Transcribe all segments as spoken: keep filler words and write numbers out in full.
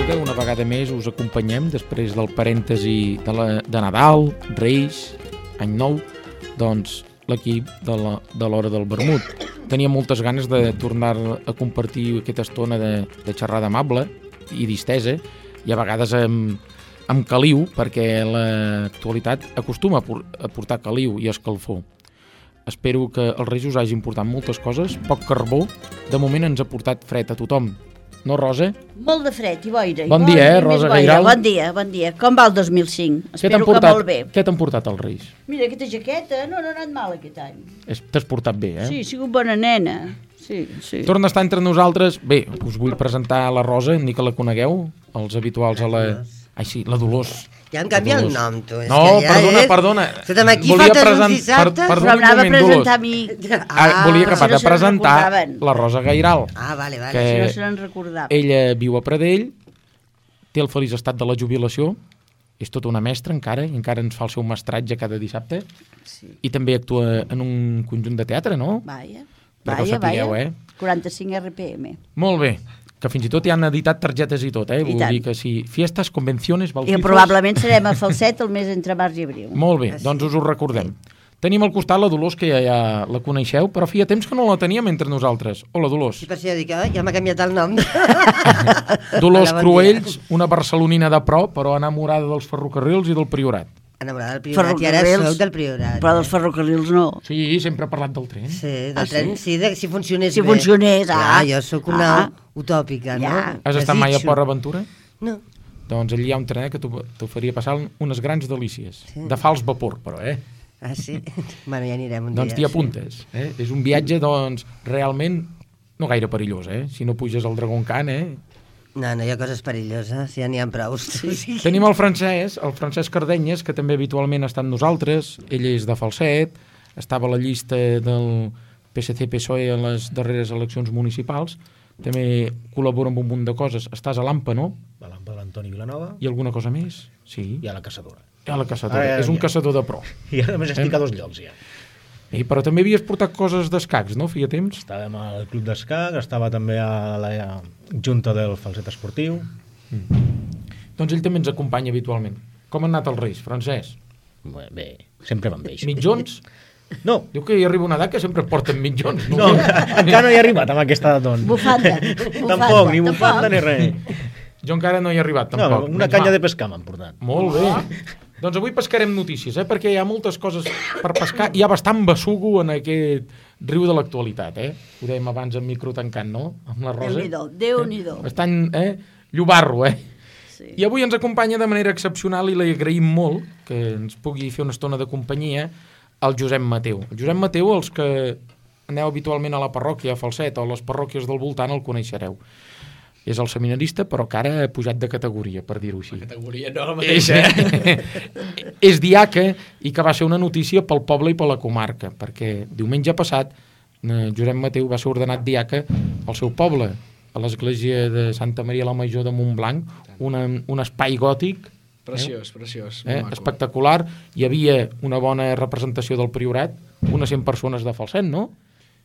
tarda, una vegada més us acompanyem després del parèntesi de, la, de Nadal, Reis, Any Nou, doncs l'equip de la, de l'Hora del Vermut. Tenia moltes ganes de tornar a compartir aquesta estona de, de xerrada amable i distesa, i a vegades amb, amb caliu, perquè l'actualitat acostuma a portar caliu i escalfor. Espero que els Reis us hagin portat moltes coses, poc carbó, de moment ens ha portat fred a tothom. No, Rosa? Molt de fred i boira. Bon dia, eh, Rosa Gairal? Bon dia, bon dia. Com va el dos mil cinc? Espero portat, que molt bé. Què t'han portat els Reis? Mira, aquesta jaqueta no, no ha anat mal aquest any. T'has portat bé, eh? Sí, he sigut bona nena. Sí, sí. Torna a estar entre nosaltres. Bé, us vull presentar la Rosa, ni que la conegueu, els habituals a la... Ai, sí, la Dolors. Ja em canvia el nom, tu. És no, que ja perdona, és... perdona. Escolta'm, aquí volia faltes present... un dissabte. Per, però anava a presentar a mi. Ah, volia acabar de presentar la Rosa Gairal. Ah, vale, vale. Que si no se n'en recordava. Ella viu a Pradell, té el feliç estat de la jubilació, és tota una mestra encara, i encara ens fa el seu mestratge cada dissabte, sí. I també actua en un conjunt de teatre, no? Vaja, vaja, vaja. Eh? quaranta-cinc R P M. Molt bé. Que fins i tot hi han editat targetes i tot, eh? I Vull tant. dir que si fiestes, convenciones, I bautizos... probablement serem a falset el mes entre març i abril. Molt bé, doncs us ho recordem. Tenim al costat la Dolors, que ja, ja la coneixeu, però feia temps que no la teníem entre nosaltres. Hola, Dolors. Sí, per si ja dic, eh? ja m'ha canviat el nom. Dolors Cruells, una barcelonina de pro, però enamorada dels ferrocarrils i del Priorat. Enamorada del Priorat, i ara soc del Priorat. Però dels ferrocarrils no. Sí, sempre ha parlat del tren. Sí, del ah, tren, sí, sí de, si funcionés si bé. Si funcionés, ah. Clar, jo sóc una ah. utòpica, ja. no? Has estat mai a Port Aventura? No. Doncs allí hi ha un tren que t'ho faria passar unes grans delícies. Sí. De fals vapor, però, eh? Ah, sí? Bueno, ja anirem un doncs dia. Doncs t'hi apuntes. Sí. Eh? És un viatge, doncs, realment no gaire perillós, eh? Si no puges al Dragon Khan, eh? No, no hi ha coses perilloses, ja n'hi ha prou. Sí. Tenim el Francesc, el Francesc Cardenyes, que també habitualment està amb nosaltres. Ell és de Falset, estava a la llista del P S C P S O E a les darreres eleccions municipals. També col·labora amb un munt de coses. Estàs a l'AMPA, no? A l'AMPA de l'Antoni Vilanova. I alguna cosa més? Sí. I a la caçadora. I a la caçadora. Ah, ja, és un ja. caçador de pro. I a més estic eh? a dos llocs, ja. I, però també havies portat coses d'escacs, no? Feia temps? Estàvem al club d'escac, estava també a la junta del falset esportiu. Mm. Doncs ell també ens acompanya habitualment. Com han anat els Reis, Francesc? Bé, bé sempre van bé. Mitjons? No. Diu que hi arriba una edat que sempre porten mitjons. No, no encara no hi he arribat amb aquesta edat. Doncs. Bufanda. bufanda. Tampoc, ni bufanda ni res. Jo encara no hi he arribat, tampoc. No, una canya de pescar m'han portat. Molt bé. Doncs avui pescarem notícies, eh? Perquè hi ha moltes coses per pescar. Hi ha bastant bessugo en aquest riu de l'actualitat, eh? Ho dèiem abans en micro tancant, no? Amb la Rosa. Déu-n'hi-do, Déu-n'hi-do. Eh? Bastant, eh? Llobarro, eh? Sí. I avui ens acompanya de manera excepcional i li agraïm molt que ens pugui fer una estona de companyia el Josep Mateu. El Josep Mateu, els que aneu habitualment a la parròquia a Falset o a les parròquies del voltant el coneixereu. És el seminarista, però que ara ha pujat de categoria, per dir-ho així. La categoria no la mateixa. És, és diaca i que va ser una notícia pel poble i per la comarca, perquè diumenge passat eh, Josep Mateu va ser ordenat diaca al seu poble, a l'església de Santa Maria la Major de Montblanc, una, un espai gòtic preciós, eh? preciós, eh? espectacular. Hi havia una bona representació del Priorat, unes cent persones de Falset, no?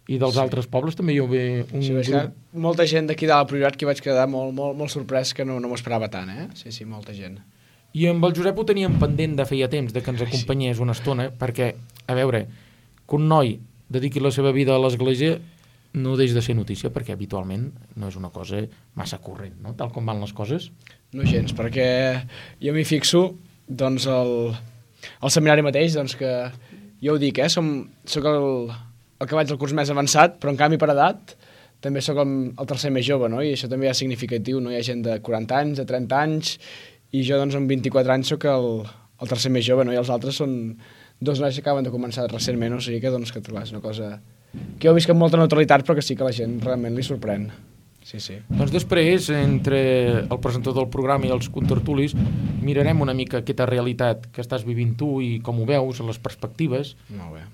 I dels sí. altres pobles també hi havia un sí, grup. Molta gent d'aquí de la Priorat que vaig quedar molt, molt, molt sorprès, que no, no m'ho esperava tant, eh? Sí, sí, molta gent. I amb el Josep ho teníem pendent de feia temps, de que ens acompanyés una estona, perquè, a veure, que un noi dediqui la seva vida a l'església no deix de ser notícia, perquè habitualment no és una cosa massa corrent, no? Tal com van les coses. No gens, perquè jo m'hi fixo, doncs, el, el seminari mateix, doncs que, jo ho dic, eh? Som, soc el... el que vaig al curs més avançat, però en canvi per edat també sóc el, el tercer més jove, no? I això també és significatiu, no? Hi ha gent de quaranta anys, de trenta anys, i jo doncs amb vint-i-quatre anys sóc el, el tercer més jove, no? I els altres són dos nois que acaben de començar recentment, o sigui que, doncs, que clar, és una cosa que jo visc amb molta neutralitat, però que sí que la gent realment li sorprèn. Sí, sí. Doncs després, entre el presentador del programa i els contertulis, mirarem una mica aquesta realitat que estàs vivint tu i com ho veus, les perspectives. Molt bé.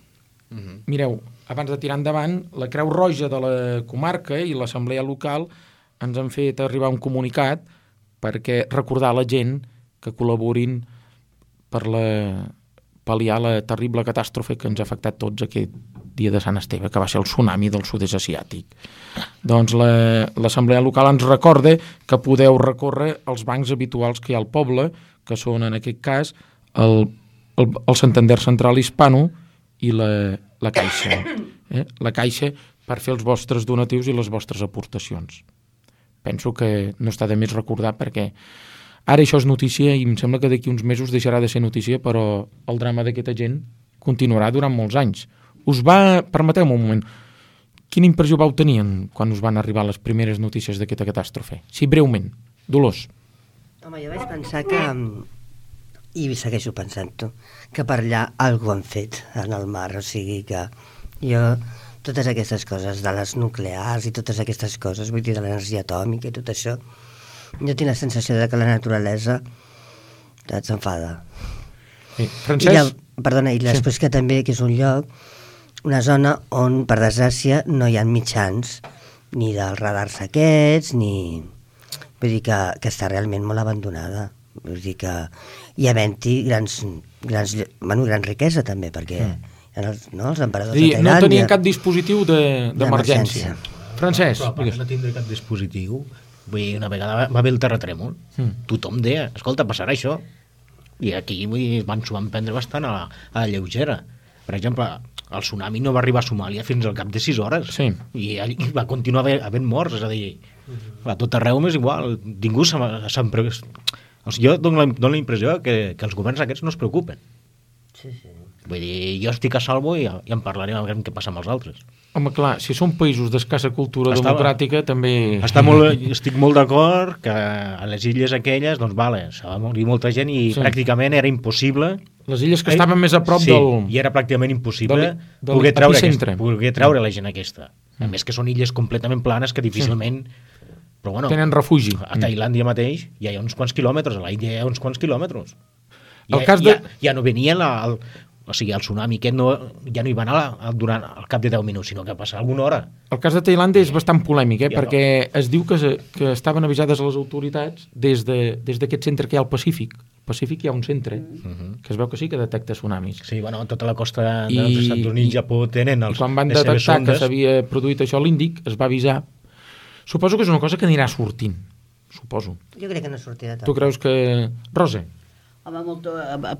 Uh-huh. Mireu, abans de tirar endavant, la Creu Roja de la comarca i l'assemblea local ens han fet arribar un comunicat perquè recordar a la gent que col·laborin per la, pal·liar la terrible catàstrofe que ens ha afectat tots aquest dia de Sant Esteve, que va ser el tsunami del sud-est asiàtic. Doncs l'Assemblea la, Local ens recorda que podeu recórrer als bancs habituals que hi ha al poble, que són en aquest cas el, el, el Santander Central Hispano i la, la Caixa. Eh? La Caixa per fer els vostres donatius i les vostres aportacions. Penso que no està de més recordar perquè ara això és notícia i em sembla que d'aquí uns mesos deixarà de ser notícia, però el drama d'aquesta gent continuarà durant molts anys. Us va... Permeteu-me un moment. Quina impressió vau tenir quan us van arribar les primeres notícies d'aquesta catàstrofe? Sí, breument. Dolors. Home, jo vaig pensar que, i segueixo pensant-ho, que per allà algú han fet en el mar, o sigui que jo, totes aquestes coses de les nuclears i totes aquestes coses, vull dir, de l'energia atòmica i tot això, jo tinc la sensació de que la naturalesa s'enfada. Sí. Francesc? I ja, perdona, i després sí. Que també que és un lloc, una zona on, per desgràcia, no hi ha mitjans ni dels radars aquests, ni... Vull dir que, que està realment molt abandonada. Vull dir que hi havent-hi grans, grans, bueno, gran riquesa també, perquè mm. hi ha els, no, els emperadors sí, de Tailàndia... No tenien cap dispositiu d'emergència. De, Francesc, però, però no tindre cap dispositiu. Vull dir, una vegada va, va haver el terratrèmol, mm. tothom deia, escolta, passarà això. I aquí vull dir, van, s'ho van prendre bastant a la, a la lleugera. Per exemple, el tsunami no va arribar a Somàlia fins al cap de sis hores. Sí. I allí va continuar havent morts, és a dir, a tot arreu és igual. Ningú se'n... Se o sigui, jo dono la, dono la impressió que, que els governs aquests no es preocupen. Sí, sí. Vull dir, jo estic a salvo i, i en parlarem a veure què passa amb els altres. Home, clar, si són països d'escassa cultura Estava, democràtica, també... Està molt, estic molt d'acord que a les illes aquelles, doncs, vale, s'ha va morir molta gent i sí. Pràcticament era impossible... Les illes que estaven més a prop sí, del... Sí, i era pràcticament impossible del, del poder, treure aquesta, poder treure la gent aquesta. A més que són illes completament planes que difícilment... Sí. Però bueno, tenen refugi. A Tailàndia mateix ja hi ha uns quants quilòmetres, a l'Índia hi ha uns quants quilòmetres. El ja, cas de... ja, ja no venia la, el, o sigui, el tsunami aquest no, ja no hi va anar durant al cap de deu minuts, sinó que passa alguna hora. El cas de Tailàndia és bastant polèmic, eh? Ja perquè no. Es diu que, que estaven avisades les autoritats des d'aquest de, des centre que hi ha al Pacífic. Al Pacífic hi ha un centre uh-huh. que es veu que sí que detecta tsunamis. Sí, bueno, tota la costa I, dels Estats Units i Japó tenen els, i quan van detectar que s'havia produït això a l'Índic, es va avisar. Suposo que és una cosa que anirà sortint. Suposo. Jo crec que no sortirà tant. Tu creus que... Rosa? Home, molt,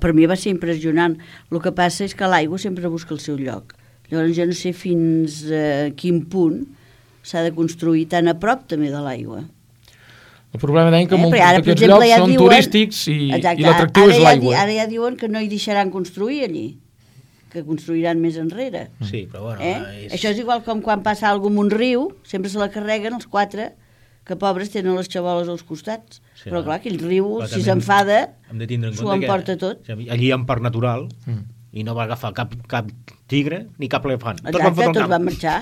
per mi va ser impressionant. El que passa és que l'aigua sempre busca el seu lloc. Llavors jo no sé fins a quin punt s'ha de construir tan a prop també de l'aigua. El problema deien que eh? molts d'aquests llocs ja són diuen, turístics i, i l'atractiu és l'aigua. Ja, ara ja diuen que no hi deixaran construir allí, que construiran més enrere. Sí, però bueno... Eh? És... Això és igual com quan passa alguna cosa amb un riu, sempre se la carreguen els quatre, que pobres tenen les xaboles als costats. Sí, però clar, aquell riu, si s'enfada, s'ho emporta tot. Allí hi ha un parc natural mm. i no va agafar cap, cap tigre ni cap elefant. Exacte, tots van, tots van marxar.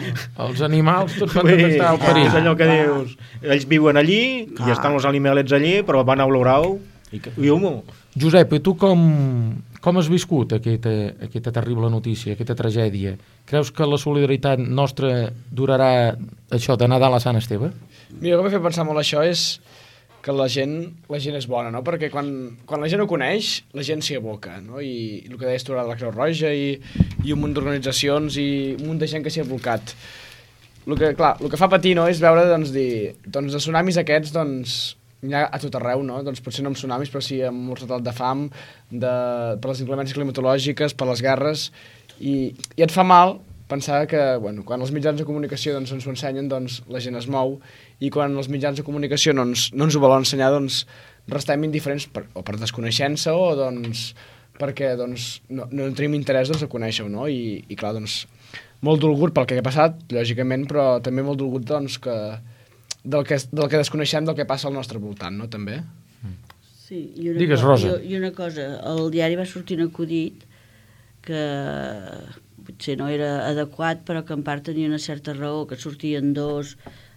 Els animals tots van detectar el perill. És allò que ah. dius, ells viuen allí ah. i estan els animalets allí, però van a olorau i, i humo. Josep, i tu com, com has viscut aquesta, aquesta terrible notícia, aquesta tragèdia? Creus que la solidaritat nostra durarà això de Nadal a Sant Esteve? Mira, el que m'ha fet pensar molt això és que la gent, la gent és bona, no? Perquè quan, quan la gent ho coneix, la gent s'hi aboca, no? I, i el que deies tu ara de la Creu Roja i, i un munt d'organitzacions i un munt de gent que s'hi ha abocat. El que, clar, el que fa patir, no?, és veure, doncs, dir, doncs, els tsunamis aquests, doncs, hi ha a tot arreu, no? Doncs potser no amb tsunamis, però sí amb un retat de fam, de, per les inclemències climatològiques, per les guerres, i, i et fa mal pensar que, bueno, quan els mitjans de comunicació doncs, ens ho ensenyen, doncs la gent es mou, i quan els mitjans de comunicació no ens, no ens ho volen ensenyar, doncs restem indiferents per, o per desconeixença o doncs perquè doncs, no, no tenim interès doncs, a conèixer-ho, no? I, i clar, doncs, molt dolgut pel que ha passat, lògicament, però també molt dolgut doncs, que, del, que, del que desconeixem del que passa al nostre voltant, no? També. Sí, i una, Digues, cosa, Rosa. I, I una cosa, el diari va sortir un acudit que potser no era adequat, però que en part tenia una certa raó, que sortien dos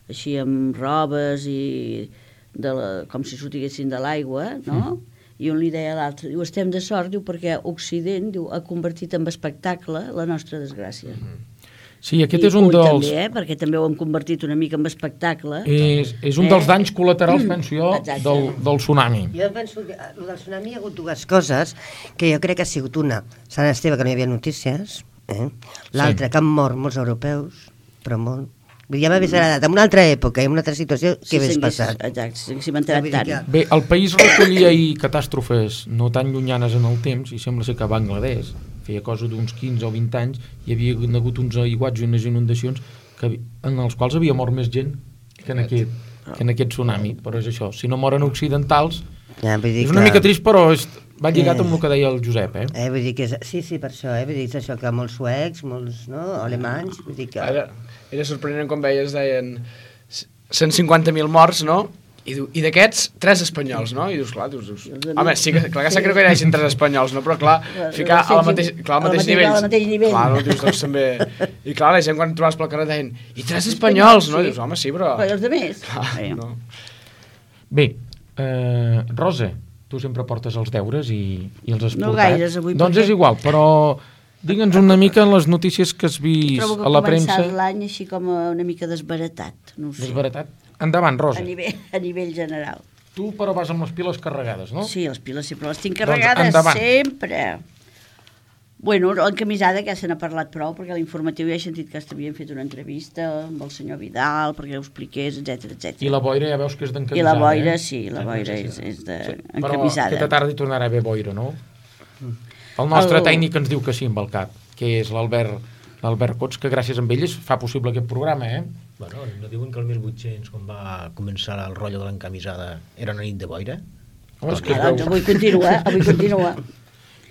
així amb robes i de la, com si sortiguessin de l'aigua, no? Mm. I un li deia a l'altre, diu, estem de sort, diu, perquè Occident, diu, ha convertit en espectacle la nostra desgràcia. Mm. Sí, aquest I és un ull dels... també, eh? Perquè també ho hem convertit una mica en espectacle. És, és un Eh? dels danys col·laterals, penso jo, Exacte. del, del tsunami. Jo penso que el del tsunami hi ha hagut dues coses, que jo crec que ha sigut una, Sant Esteve, que no hi havia notícies, eh? L'altra, Sí. que han mort molts europeus, però molt. Vull dir, ja m'hagués agradat, en una altra època i en una altra situació, què hagués passat? Exacte, si haguéssim entrat Vull dir tant. que- Bé, el país recollia ahir catàstrofes no tan llunyanes en el temps, i sembla ser que a Bangladesh, feia cosa d'uns quinze o vint anys, hi havia hagut uns aiguats i unes inundacions que, en els quals havia mort més gent que en aquest, que en aquest tsunami, però és això, si no moren occidentals, Ja, vull dir és una que- mica trist, però és, va lligat Eh. amb el que deia el Josep, eh? Eh, vull dir que és, sí, sí, per això, eh? Vull dir, és això que molts suecs, molts, no?, alemanys, vull dir que... Era, era sorprenent quan veies, deien cent cinquanta mil morts, no? I, diu- i d'aquests, tres espanyols, no? I dius, clar, dius, dius home, sí que, clar que s'ha creu que hi hagin tres espanyols, no? Però clar, ficar al mateix, clar, al mateix nivell. Al mateix nivell. Clar, no? Dius, doncs també... I clar, la gent quan et trobaves pel carrer deien, i tres espanyols, no? I dius, home, sí, però... Però i els altres? Clar, no. Bé, eh, Rosa, tu sempre portes els deures i, i els has No portat. gaires, avui, Doncs perquè- és igual, però digue'ns una mica les notícies que has vist Trobo que a ha la començat premsa. l'any així com una mica desbaratat, no ho sé, Desbaratat. Endavant, Rosa. a nivell, a nivell general. Tu, però, vas amb les piles carregades, no? Sí, les piles sempre les tinc Doncs carregades, endavant. sempre. Bueno, l'encamisada ja se n'ha parlat prou, perquè a l'informatiu ja he sentit que havien fet una entrevista amb el senyor Vidal, perquè ho expliqués, etc etc. I la boira ja veus que és d'encamisada. I la boira, eh? sí, la boira és, és Però d'encamisada. aquesta tarda hi tornarà a haver boira, no? El nostre El- tècnic ens diu que sí amb el cap, que és l'Albert l'Albert Cots, que gràcies a ell es fa possible aquest programa, eh? Bueno, no diuen que el mil vuit-cents, quan va començar el rotllo de l'encamisada, era una nit de boira? Home, és que es Ah, doncs veu... avui continua, avui continua.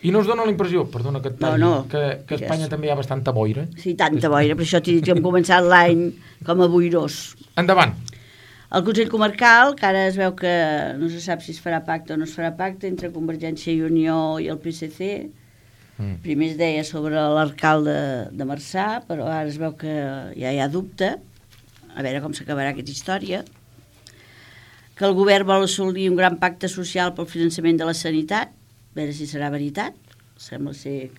I no us dona la impressió, perdona que et talli, No, no, que, que a Espanya digues. també hi ha bastanta boira? Sí, tanta boira, per això t'he dit que hem començat l'any com a boirós. Endavant. El Consell Comarcal, que ara es veu que no se sap si es farà pacte o no es farà pacte entre Convergència i Unió i el P S C. Mm. Primer es deia sobre l'alcalde de Marçà, però ara es veu que ja hi ha dubte. A veure com s'acabarà aquesta història. Que el govern vol assolir un gran pacte social pel finançament de la sanitat. A veure si serà veritat. Sembla ser...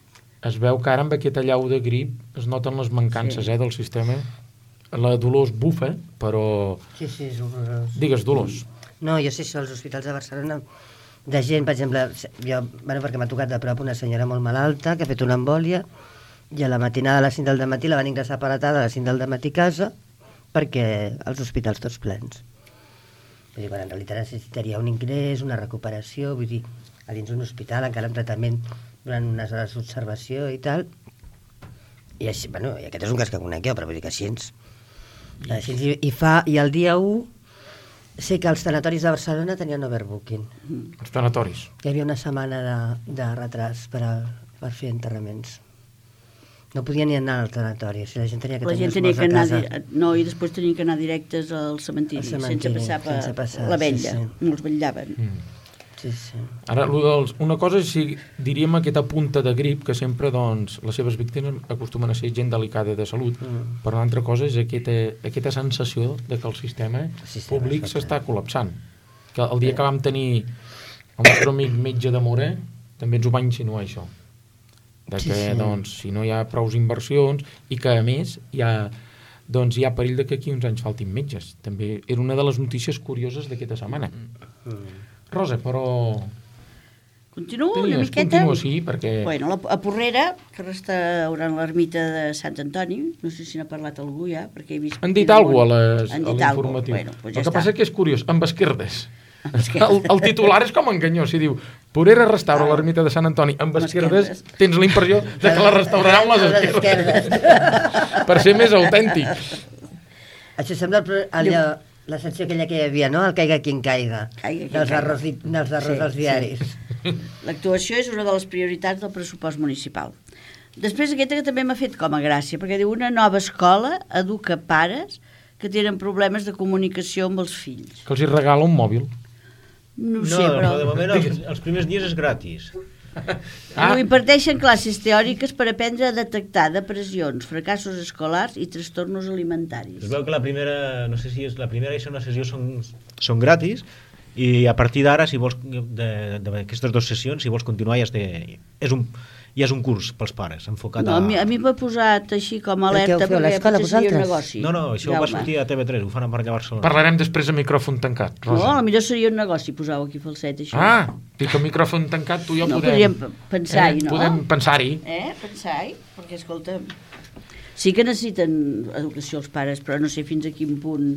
Es veu que ara amb aquesta llau de grip es noten les mancances, Sí. eh, del sistema. La Dolors bufa, però... Sí, sí, és horrorós. Digues, Dolors. No, jo sé això, als hospitals de Barcelona, de gent, per exemple, jo, bueno, perquè m'ha tocat de prop una senyora molt malalta que ha fet una embòlia i a la matinada a les cinc del matí la van ingressar per la tarda a les cinc del matí a casa perquè els hospitals tots plens. Vull dir, bueno, en realitat necessitaria un ingrés, una recuperació, vull dir, a dins d'un hospital, encara en tractament durant unes hores d'observació i tal. I així, bueno, i aquest és un cas que conec jo, però vull dir que així ens... Així, i, i, fa, i el dia u sé que els tanatoris de Barcelona tenien overbooking. Els tanatoris. Hi havia una setmana de, de retras per, a, per fer enterraments. No podia ni anar al tanatori, o sigui, la gent tenia que La tenir gent els tenia morts que a anar... casa. di- No, i després tenien que anar directes al cementiri, Al cementiri, sense passar per sense passar, la sí, vetlla. sí. No els vetllaven. Mm. Sí, sí. Ara, lo dels, una cosa és, si diríem aquesta punta de grip, que sempre, doncs, les seves víctimes acostumen a ser gent delicada de salut, Mm. però l'altra cosa és aquesta, aquesta sensació de que el sistema, El sistema públic està s'està col·lapsant. Que el dia que vam tenir el nostre amic metge de Mora, també ens ho va insinuar això. De Sí, que, sí. doncs, si no hi ha prous inversions i que, a més, hi ha, doncs, hi ha perill de que aquí uns anys faltin metges. També era una de les notícies curioses d'aquesta setmana. Mm. Rosa, però... Continuo una Digues, miqueta? continua, sí, perquè... Bueno, la, a Porrera, que restaurant l'ermita de Sant Antoni, no sé si n'ha parlat algú ja, perquè he vist... Han dit quin alguna cosa món- a les- Han a dit l'informatiu. alguna cosa. Bueno, doncs el ja que està. passa que és curiós, amb esquerdes. esquerdes. El, el titular és com enganyós, si diu Porrera restaura Ah. l'ermita de Sant Antoni amb Amb esquerdes, esquerdes. tens la impressió de que la restaurarà amb les Les esquerdes. esquerdes. Per ser més autèntic. Això sembla el, pro- allò, la secció aquella que hi havia, no? El caiga quien caiga. Caiga qui dels caiga. errors, di- dels errors Sí, dels sí. diaris. L'actuació és una de les prioritats del pressupost municipal. Després aquesta que també m'ha fet com a gràcia, perquè diu una nova escola educa pares que tenen problemes de comunicació amb els fills. Que els hi regala un mòbil. No ho No, sé, però... de moment els, els primers dies és gratis. Ah. Diu, imparteixen classes teòriques per aprendre a detectar depressions, fracassos escolars i trastornos alimentaris. Es veu que la primera, no sé si és la primera i segona sessió són, són gratis, i a partir d'ara, si vols, d'aquestes dues sessions, si vols continuar, ja has de, és un, i és un curs pels pares, enfocat No, a mi, a mi m'ha posat així com a alerta Què heu fet, a l'escola, potser seria un vosaltres? negoci. No, no, això Jaume. va sortir a T V tres, ho fan per allà a Barcelona. Parlarem després a micròfon tancat, No, Rosa. potser seria un negoci, posau aquí falset, això. Ah, dic que a micròfon tancat tu i jo no, podem... podríem pensar-hi, eh, no? Podem pensar-hi. Eh, pensar-hi, perquè, escolta, sí que necessiten educació els pares, però no sé fins a quin punt...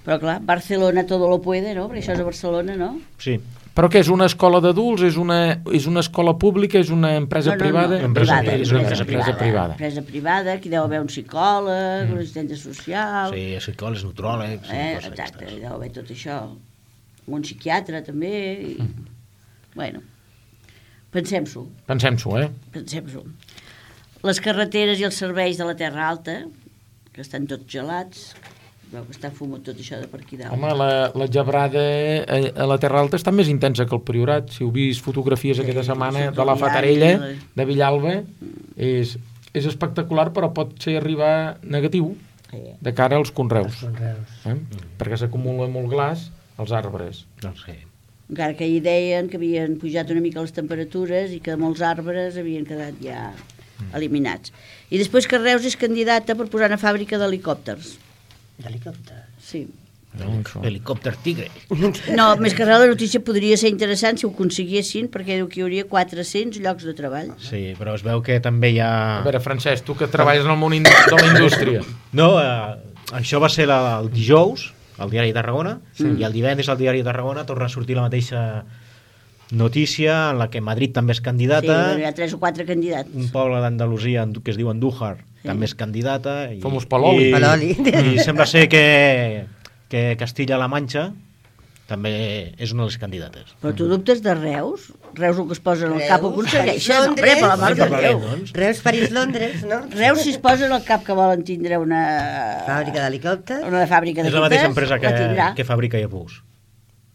Però clar, Barcelona todo lo puede, no? Perquè això és a Barcelona, no? Sí. Però què, és una escola d'adults? És una, és una escola pública? És una empresa no, no, privada? No, Empresa privada, privada, empresa, empresa privada, privada. Empresa privada, que deu haver un psicòleg, mm. un assistent social... Sí, psicòlegs, nutròlegs... Eh, coses exacte, aquestes. deu haver tot això. Un psiquiatre, també. I... Mm. Bueno, pensem-s'ho, Pensem-s'ho, eh? pensem-s'ho. Les carreteres i els serveis de la Terra Alta, que estan tots gelats, veu que està fumut tot això de per aquí dalt. Home, la, la gebrada a, a la Terra Alta està més intensa que el Priorat. Si heu vist fotografies aquesta setmana de la Fatarella, de Villalba, és, és espectacular, però pot ser arribar negatiu de cara als conreus. Conreus. Eh? Perquè s'acumula molt glaç als arbres. Doncs sí. Encara que hi deien que havien pujat una mica les temperatures i que molts arbres havien quedat ja eliminats. I després que Reus és candidata per posar una fàbrica d'helicòpters. D'helicòpter. Sí. Helicòpter tigre. No, més que res la notícia podria ser interessant si ho aconseguissin, perquè diu que hi hauria quatre-cents llocs de treball. Sí, però es veu que també hi ha... A veure, Francesc, tu que treballes en el món in- de la indústria. No, eh, això va ser la, el dijous, al Diari de Tarragona, sí. I el divendres al Diari de Tarragona torna a sortir la mateixa notícia en la que Madrid també és Sí, candidata, bueno, hi ha tres o quatre candidats. un poble d'Andalusia que es diu Andújar Sí. també és candidata i, Fomos Paloli. i, Paloli. i sembla ser que, que Castilla-La Manxa també és una de les candidates. Però tu dubtes de Reus? Reus el que es posa en el cap ho Reus, aconsegueixen? París, Hombre, per la mar de Londres. Déu. Doncs. Reus, París, Londres, no? Reus, si es posa en el cap que volen tindre una... Fàbrica d'helicòpters. Una fàbrica És d'equipes, la mateixa empresa que, la tindrà. que fabrica Airbus.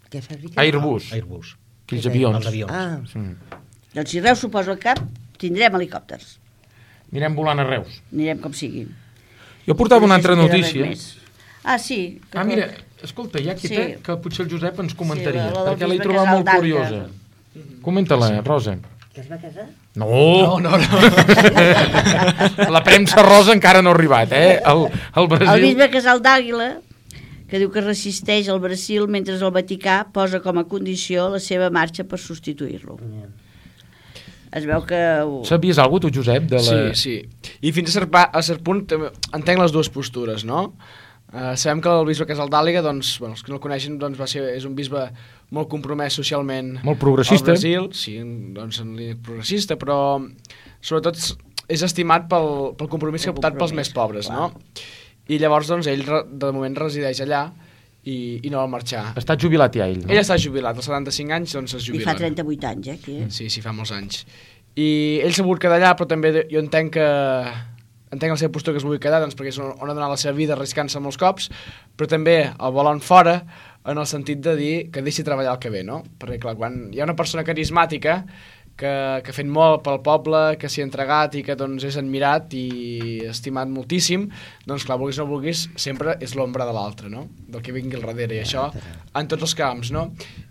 Què fabrica? Airbus, Airbus. aquells avions. Els avions. Ah, Mm. Doncs si Reus s'ho posa al cap, tindrem helicòpters. Anirem volant a Reus. Anirem com sigui. Jo portava una No sé altra si queda res notícia. més. Ah, sí. Que Ah, mira, escolta, hi ha qui Sí. té, que potser el Josep ens comentaria, Sí, la- la del perquè l'he bisbe trobat Casal molt d'Àliga. curiosa. Comenta-la, Rosa. que es va casar? No, No, no, no. la premsa rosa encara no ha arribat, eh? El, el Brasil... El bisbe Casal d'Àguila, que diu que resisteix al Brasil mentre el Vaticà posa com a condició la seva marxa per substituir-lo. Es veu que... ho- Sabies alguna cosa, tu, Josep? De la... Sí, sí. I fins a cert, pa, a cert punt també entenc les dues postures, no? Uh, sabem que el bisbe Casal d'Àliga, doncs, bueno, els que no el coneixen, doncs, va ser, és un bisbe molt compromès socialment Molt progressista. al Brasil, sí, doncs en línia progressista, però sobretot és estimat pel, pel compromís que ha optat pels més pobres, no? I llavors, doncs, ell re- de moment resideix allà i, i no vol marxar. Està jubilat ja, ell, no? Ell està jubilat, als setanta-cinc anys, doncs es I jubila. fa trenta-vuit anys, eh? Aquí, eh? Sí, sí, fa molts anys. I ell s'ha volgut quedar allà, però també de- jo entenc que entenc la seva postura que es vulgui quedar, doncs perquè és on, on ha donat la seva vida arriscant-se molts cops, però també el volen fora en el sentit de dir que deixi treballar el que ve, no? Perquè, clar, quan hi ha una persona carismàtica que, que ha fet molt pel poble, que s'hi ha entregat i que doncs, és admirat i estimat moltíssim, doncs clar, vulguis o no vulguis, sempre és l'ombra de l'altre, no? Del que vingui al darrere, i això en tots els camps, no?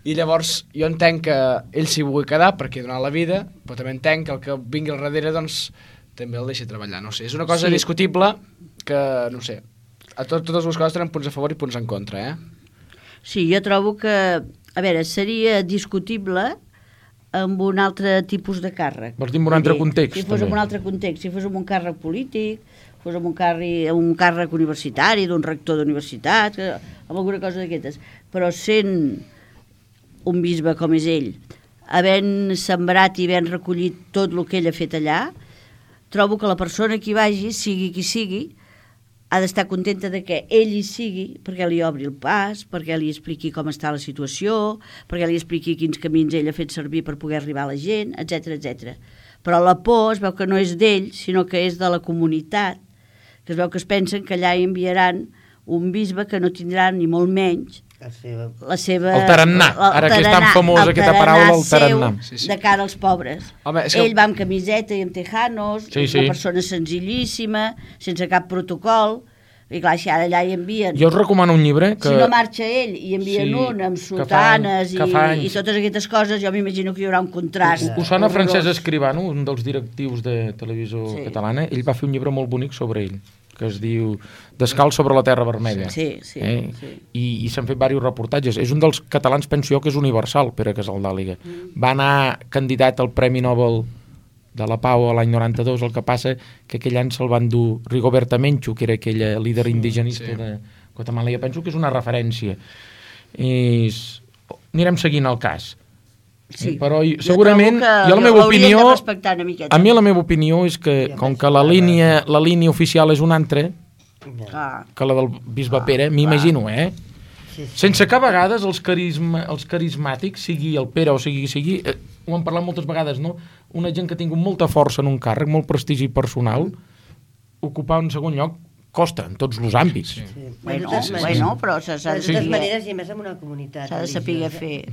I llavors jo entenc que ell s'hi vulgui quedar perquè ha donat la vida, però també entenc que el que vingui al darrere, doncs, també el deixi treballar, no sé. És una cosa Sí. discutible que, no sé, a tot, totes les coses tenen punts a favor i punts en contra, eh? Sí, jo trobo que, a veure, seria discutible amb un altre tipus de càrrec. Vols dir en un altre Vull dir, context, Si fos també? en un altre context, si fos en un càrrec polític, fos en un càrrec, un càrrec universitari, d'un rector d'universitat, que- amb alguna cosa d'aquestes. Però sent un bisbe com és ell, havent sembrat i havent recollit tot el que ell ha fet allà, trobo que la persona que hi vagi, sigui qui sigui, ha d'estar contenta de que ell hi sigui perquè li obri el pas, perquè li expliqui com està la situació, perquè li expliqui quins camins ell ha fet servir per poder arribar a la gent, etcètera, etcètera. Però la por es veu que no és d'ell, sinó que és de la comunitat, que es veu que es pensen que allà hi enviaran un bisbe que no tindrà ni molt menys La seva... la seva... El tarannà. Ara que és tan famosa aquesta paraula, el tarannà. seu Sí, sí. de cara als pobres. Home, és que- Ell va amb camiseta i amb tejanos, Sí, és sí. una persona senzillíssima, sense cap protocol. I clar, si ara allà hi envien... Jo us recomano un llibre que... Si no marxa ell i envien Sí, un amb que fa- sotanes que fa i, anys. i totes aquestes coses, jo m'imagino que hi haurà un contrast. Us sona horrorós. Francesc Escribano, un dels directius de televisió Sí. catalana? Ell va fer un llibre molt bonic sobre ell, que es diu Descalç sobre la terra vermella. Sí, sí, eh? sí. I, i s'han fet diversos reportatges. És un dels catalans, penso jo, que és universal, Pere Casaldàliga. Mm. Va anar candidat al Premi Nobel de la Pau a l'any noranta-dos, el que passa que aquell any se'l van dur Rigoberta Menchú, que era aquella líder indigenista sí. de Guatemala. Jo penso que és una referència. És... Anirem seguint el cas. Sí. Però segurament, jo, jo la meva l'haurien opinió, de respectar una miqueta. a mi la meva opinió és que, com que la línia, la línia oficial és una altra Clar. que la del bisbe Pere, m'imagino, eh? Sí, sí. Sense que a vegades els, carisma, els carismàtics, sigui el Pere o sigui, sigui eh, ho hem parlat moltes vegades, no? Una gent que ha tingut molta força en un càrrec, molt prestigi personal, ocupar un segon lloc costa en tots els àmbits. Sí. Sí. Bueno, De totes maneres- bueno, però s'ha s'ha de de, totes saber- maneres, i a més en una comunitat s'ha de saber religiosa. fer.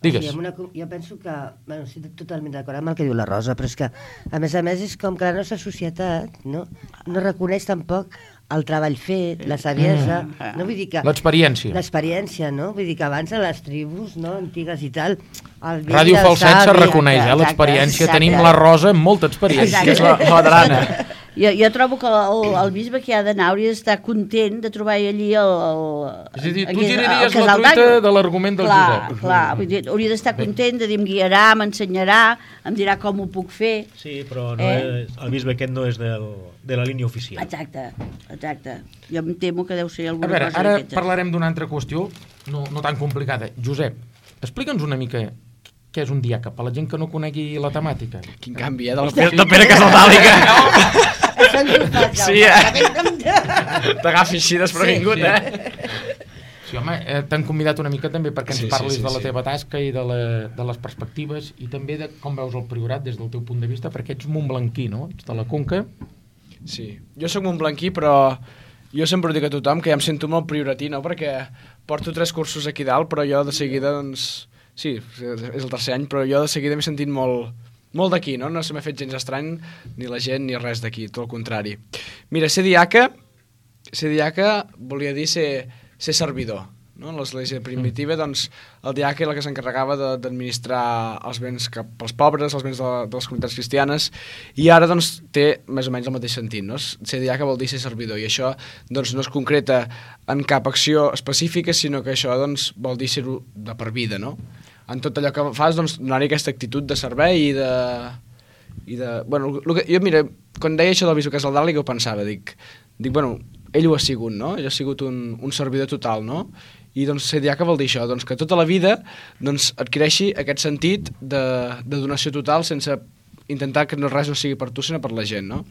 Digues. Sí, amb una, co- jo penso que... Bueno, estic totalment d'acord amb el que diu la Rosa, però és que, a més a més, és com que la nostra societat no, no reconeix tampoc el treball fet, la saviesa, Mm. no? Vull dir que... L'experiència. L'experiència, no? Vull dir que abans a les tribus, no?, antigues i tal... El vell Ràdio del Falset se savi- reconeix, eh? exacte, L'experiència. exacte. Tenim la Rosa amb molta experiència. Que és la, la madrana. Jo, jo trobo que el, el bisbe que ha d'anar hauria d'estar content de trobar allí el... el És a dir, tu aquí- el giraries la casal truita d'Aigua. de l'argument del clar, Josep. Clar, vull dir, hauria d'estar content de dir, em guiarà, m'ensenyarà, em dirà com ho puc fer. Sí, però no Eh? és, el bisbe aquest no és del, de la línia oficial. Exacte, exacte. Jo em temo que deu ser A alguna veure, cosa ara d'aquestes. parlarem d'una altra qüestió, no, no tan complicada. Josep, explica'ns una mica què és un diàca, per la gent que no conegui la temàtica. Quin canvi, eh? De la Pere, de Pere Casaldàliga. Això ens ho fa, Sí, eh? T'agafi així desprevingut, Sí, sí. eh? Sí, home, eh, t'han convidat una mica també perquè ens Sí, sí, parlis sí, de la sí. teva tasca i de, la, de les perspectives i també de com veus el Priorat des del teu punt de vista, perquè ets montblanquí, no? Ets de la Conca. Sí, jo sóc montblanquí, però jo sempre ho dic a tothom que ja em sento molt prioratí, no? Perquè porto tres cursos aquí dalt, però jo de seguida, doncs... Sí, és el tercer any, però jo de seguida m'he sentit molt, molt d'aquí, no? No se m'ha fet gens estrany, ni la gent, ni res d'aquí, tot el contrari. Mira, ser diaca, ser diaca volia dir ser, ser servidor, no? En l'església primitiva, doncs, el diaca era el que s'encarregava de- d'administrar els béns cap als pobres, els béns de, de les comunitats cristianes, i ara, doncs, té més o menys el mateix sentit, no? Ser diaca vol dir ser servidor, i això, doncs, no es concreta en cap acció específica, sinó que això, doncs, vol dir ser-ho de per vida, no? En tot allò que fas, doncs, donar-hi aquesta actitud de servei i de... I de bueno, el que, jo, mira, quan deia això del bisbe Casaldàliga, ho pensava, dic, dic, bueno, ell ho ha sigut, no? Ell ha sigut un, un servidor total, no? I, doncs, ser diaca vol dir això, doncs, que tota la vida, doncs, adquireixi aquest sentit de, de donació total sense intentar que no, res no sigui per tu, sinó per la gent, no?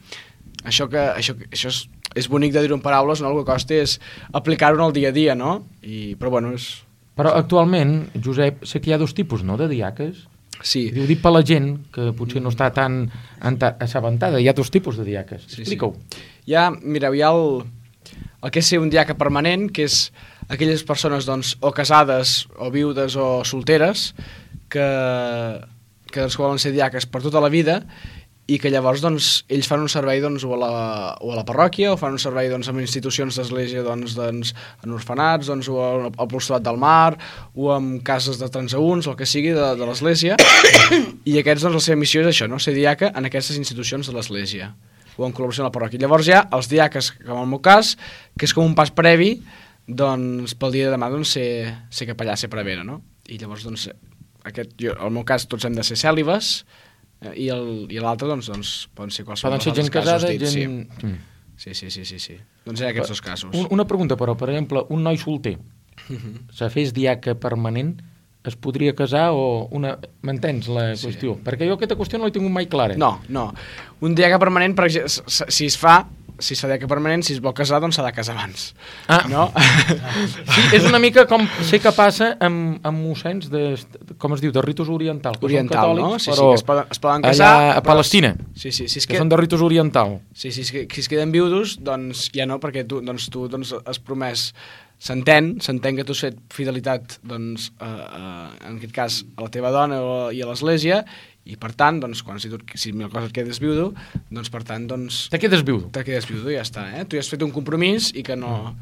Això, que, això, això és, és bonic de dir-ho en paraules, no? El que costa és aplicar-ho en el dia a dia, no? I, però, bueno, és... Però actualment, Josep, sé que hi ha dos tipus, no?, de diaques. Sí. Ho dic per la gent que potser no està tan enta- assabentada. Hi ha dos tipus de diaques. Sí, Explica-ho. sí. Hi ha, mireu, hi ha el, el que és ser un diaca permanent, que és aquelles persones, doncs, o casades, o viudes, o solteres, que, que doncs, volen ser diaques per tota la vida, i que llavors, doncs, ells fan un servei, doncs, o a la, o a la parròquia, o fan un servei, doncs, en institucions d'església, doncs, doncs, en orfenats, doncs, o al, al Apostolats del Mar, o en cases de transeünts, o el que sigui, de, de l'església, i aquests, doncs, la seva missió és això, no?, ser diaca en aquestes institucions de l'església, o en col·laboració amb la parròquia. Llavors hi ha els diaques, com en el meu cas, que és com un pas previ, doncs, pel dia de demà, doncs, ser, ser capellà, ser prevera, no? I llavors, doncs, aquest, jo, en el meu cas, tots hem de ser cèlibes, eh, i el- i l'altre, doncs, doncs, poden ser qualsevol Poden ser dels gent altres casos casada, dits, gent... Mm. sí. Sí, sí, sí, sí, sí. Doncs hi ha aquests dos casos. Un, una pregunta, però, per exemple, un noi solter, se fes diaca permanent, es podria casar o una... M'entens la Sí. qüestió? Perquè jo aquesta qüestió no l'he tingut mai clara. No, no. Un diaca permanent, per exemple, s- si es fa, si es fa diaca permanent, si es vol casar, doncs s'ha de casar abans. Ah. No? Sí, és una mica com sé que passa amb, amb mossens de, com es diu, de ritus oriental. Que Oriental, són no? catòlics, Sí, sí, però que es poden, es poden casar. allà a però- Palestina, Sí, sí, si es que queda... són de ritus oriental. Sí, sí, si, si es queden viudos, doncs ja no, perquè tu, doncs, tu doncs, has promès s'entén, s'entén que tu has fet fidelitat, doncs, a, a, en aquest cas, a la teva dona i a l'església, i per tant, doncs, quan si, tu, si mil coses et quedes viudo, doncs, per tant, doncs... Te quedes viudo. Te quedes viudo i ja està, eh? Tu ja has fet un compromís i que no,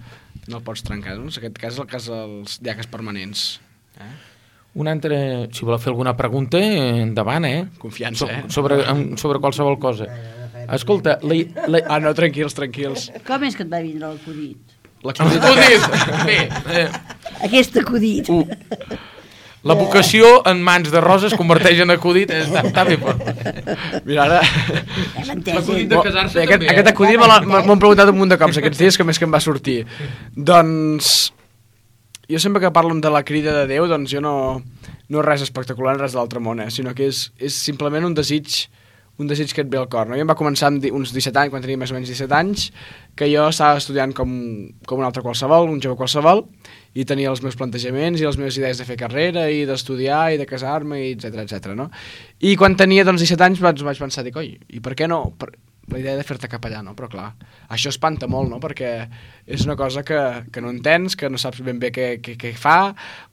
no el pots trencar, doncs. En aquest cas és el cas dels diaques permanents, eh? Un altre, si voleu fer alguna pregunta, endavant, eh? Confiança, eh? So, sobre, sobre qualsevol cosa. Escolta, la, la... Ah, no, tranquils, tranquils. Com és que et va vindre l'acudit? L'acudit. Bé, eh, Aquest acudit. uh, la vocació en mans de Rosa es converteix en acudit, eh, està, està bé, però... Mira, ara... Hem entès, L'acudit eh? de casar-se Bé, aquest, també, eh? aquest acudit me l'ha- m'ho han preguntat un munt de cops aquests dies, que més que em va sortir. Doncs... Jo sempre que parlo de la crida de Déu, doncs jo no, no és res espectacular, res de l'altre món, eh? Sinó que és, és simplement un desig, un desig que et ve al cor. No? Jo em va començar amb di- uns disset anys, quan tenia més o menys disset anys, que jo estava estudiant com, com un altre qualsevol, un jove qualsevol, i tenia els meus plantejaments i les meves idees de fer carrera i d'estudiar i de casar-me, i etcètera, etcètera, no? I quan tenia doncs, disset anys vaig, vaig pensar, dic, oi, i per què no... Per la idea de fer-te capellà, no? Però clar, això espanta molt, no? Perquè és una cosa que, que no entens, que no saps ben bé què, què, què fa.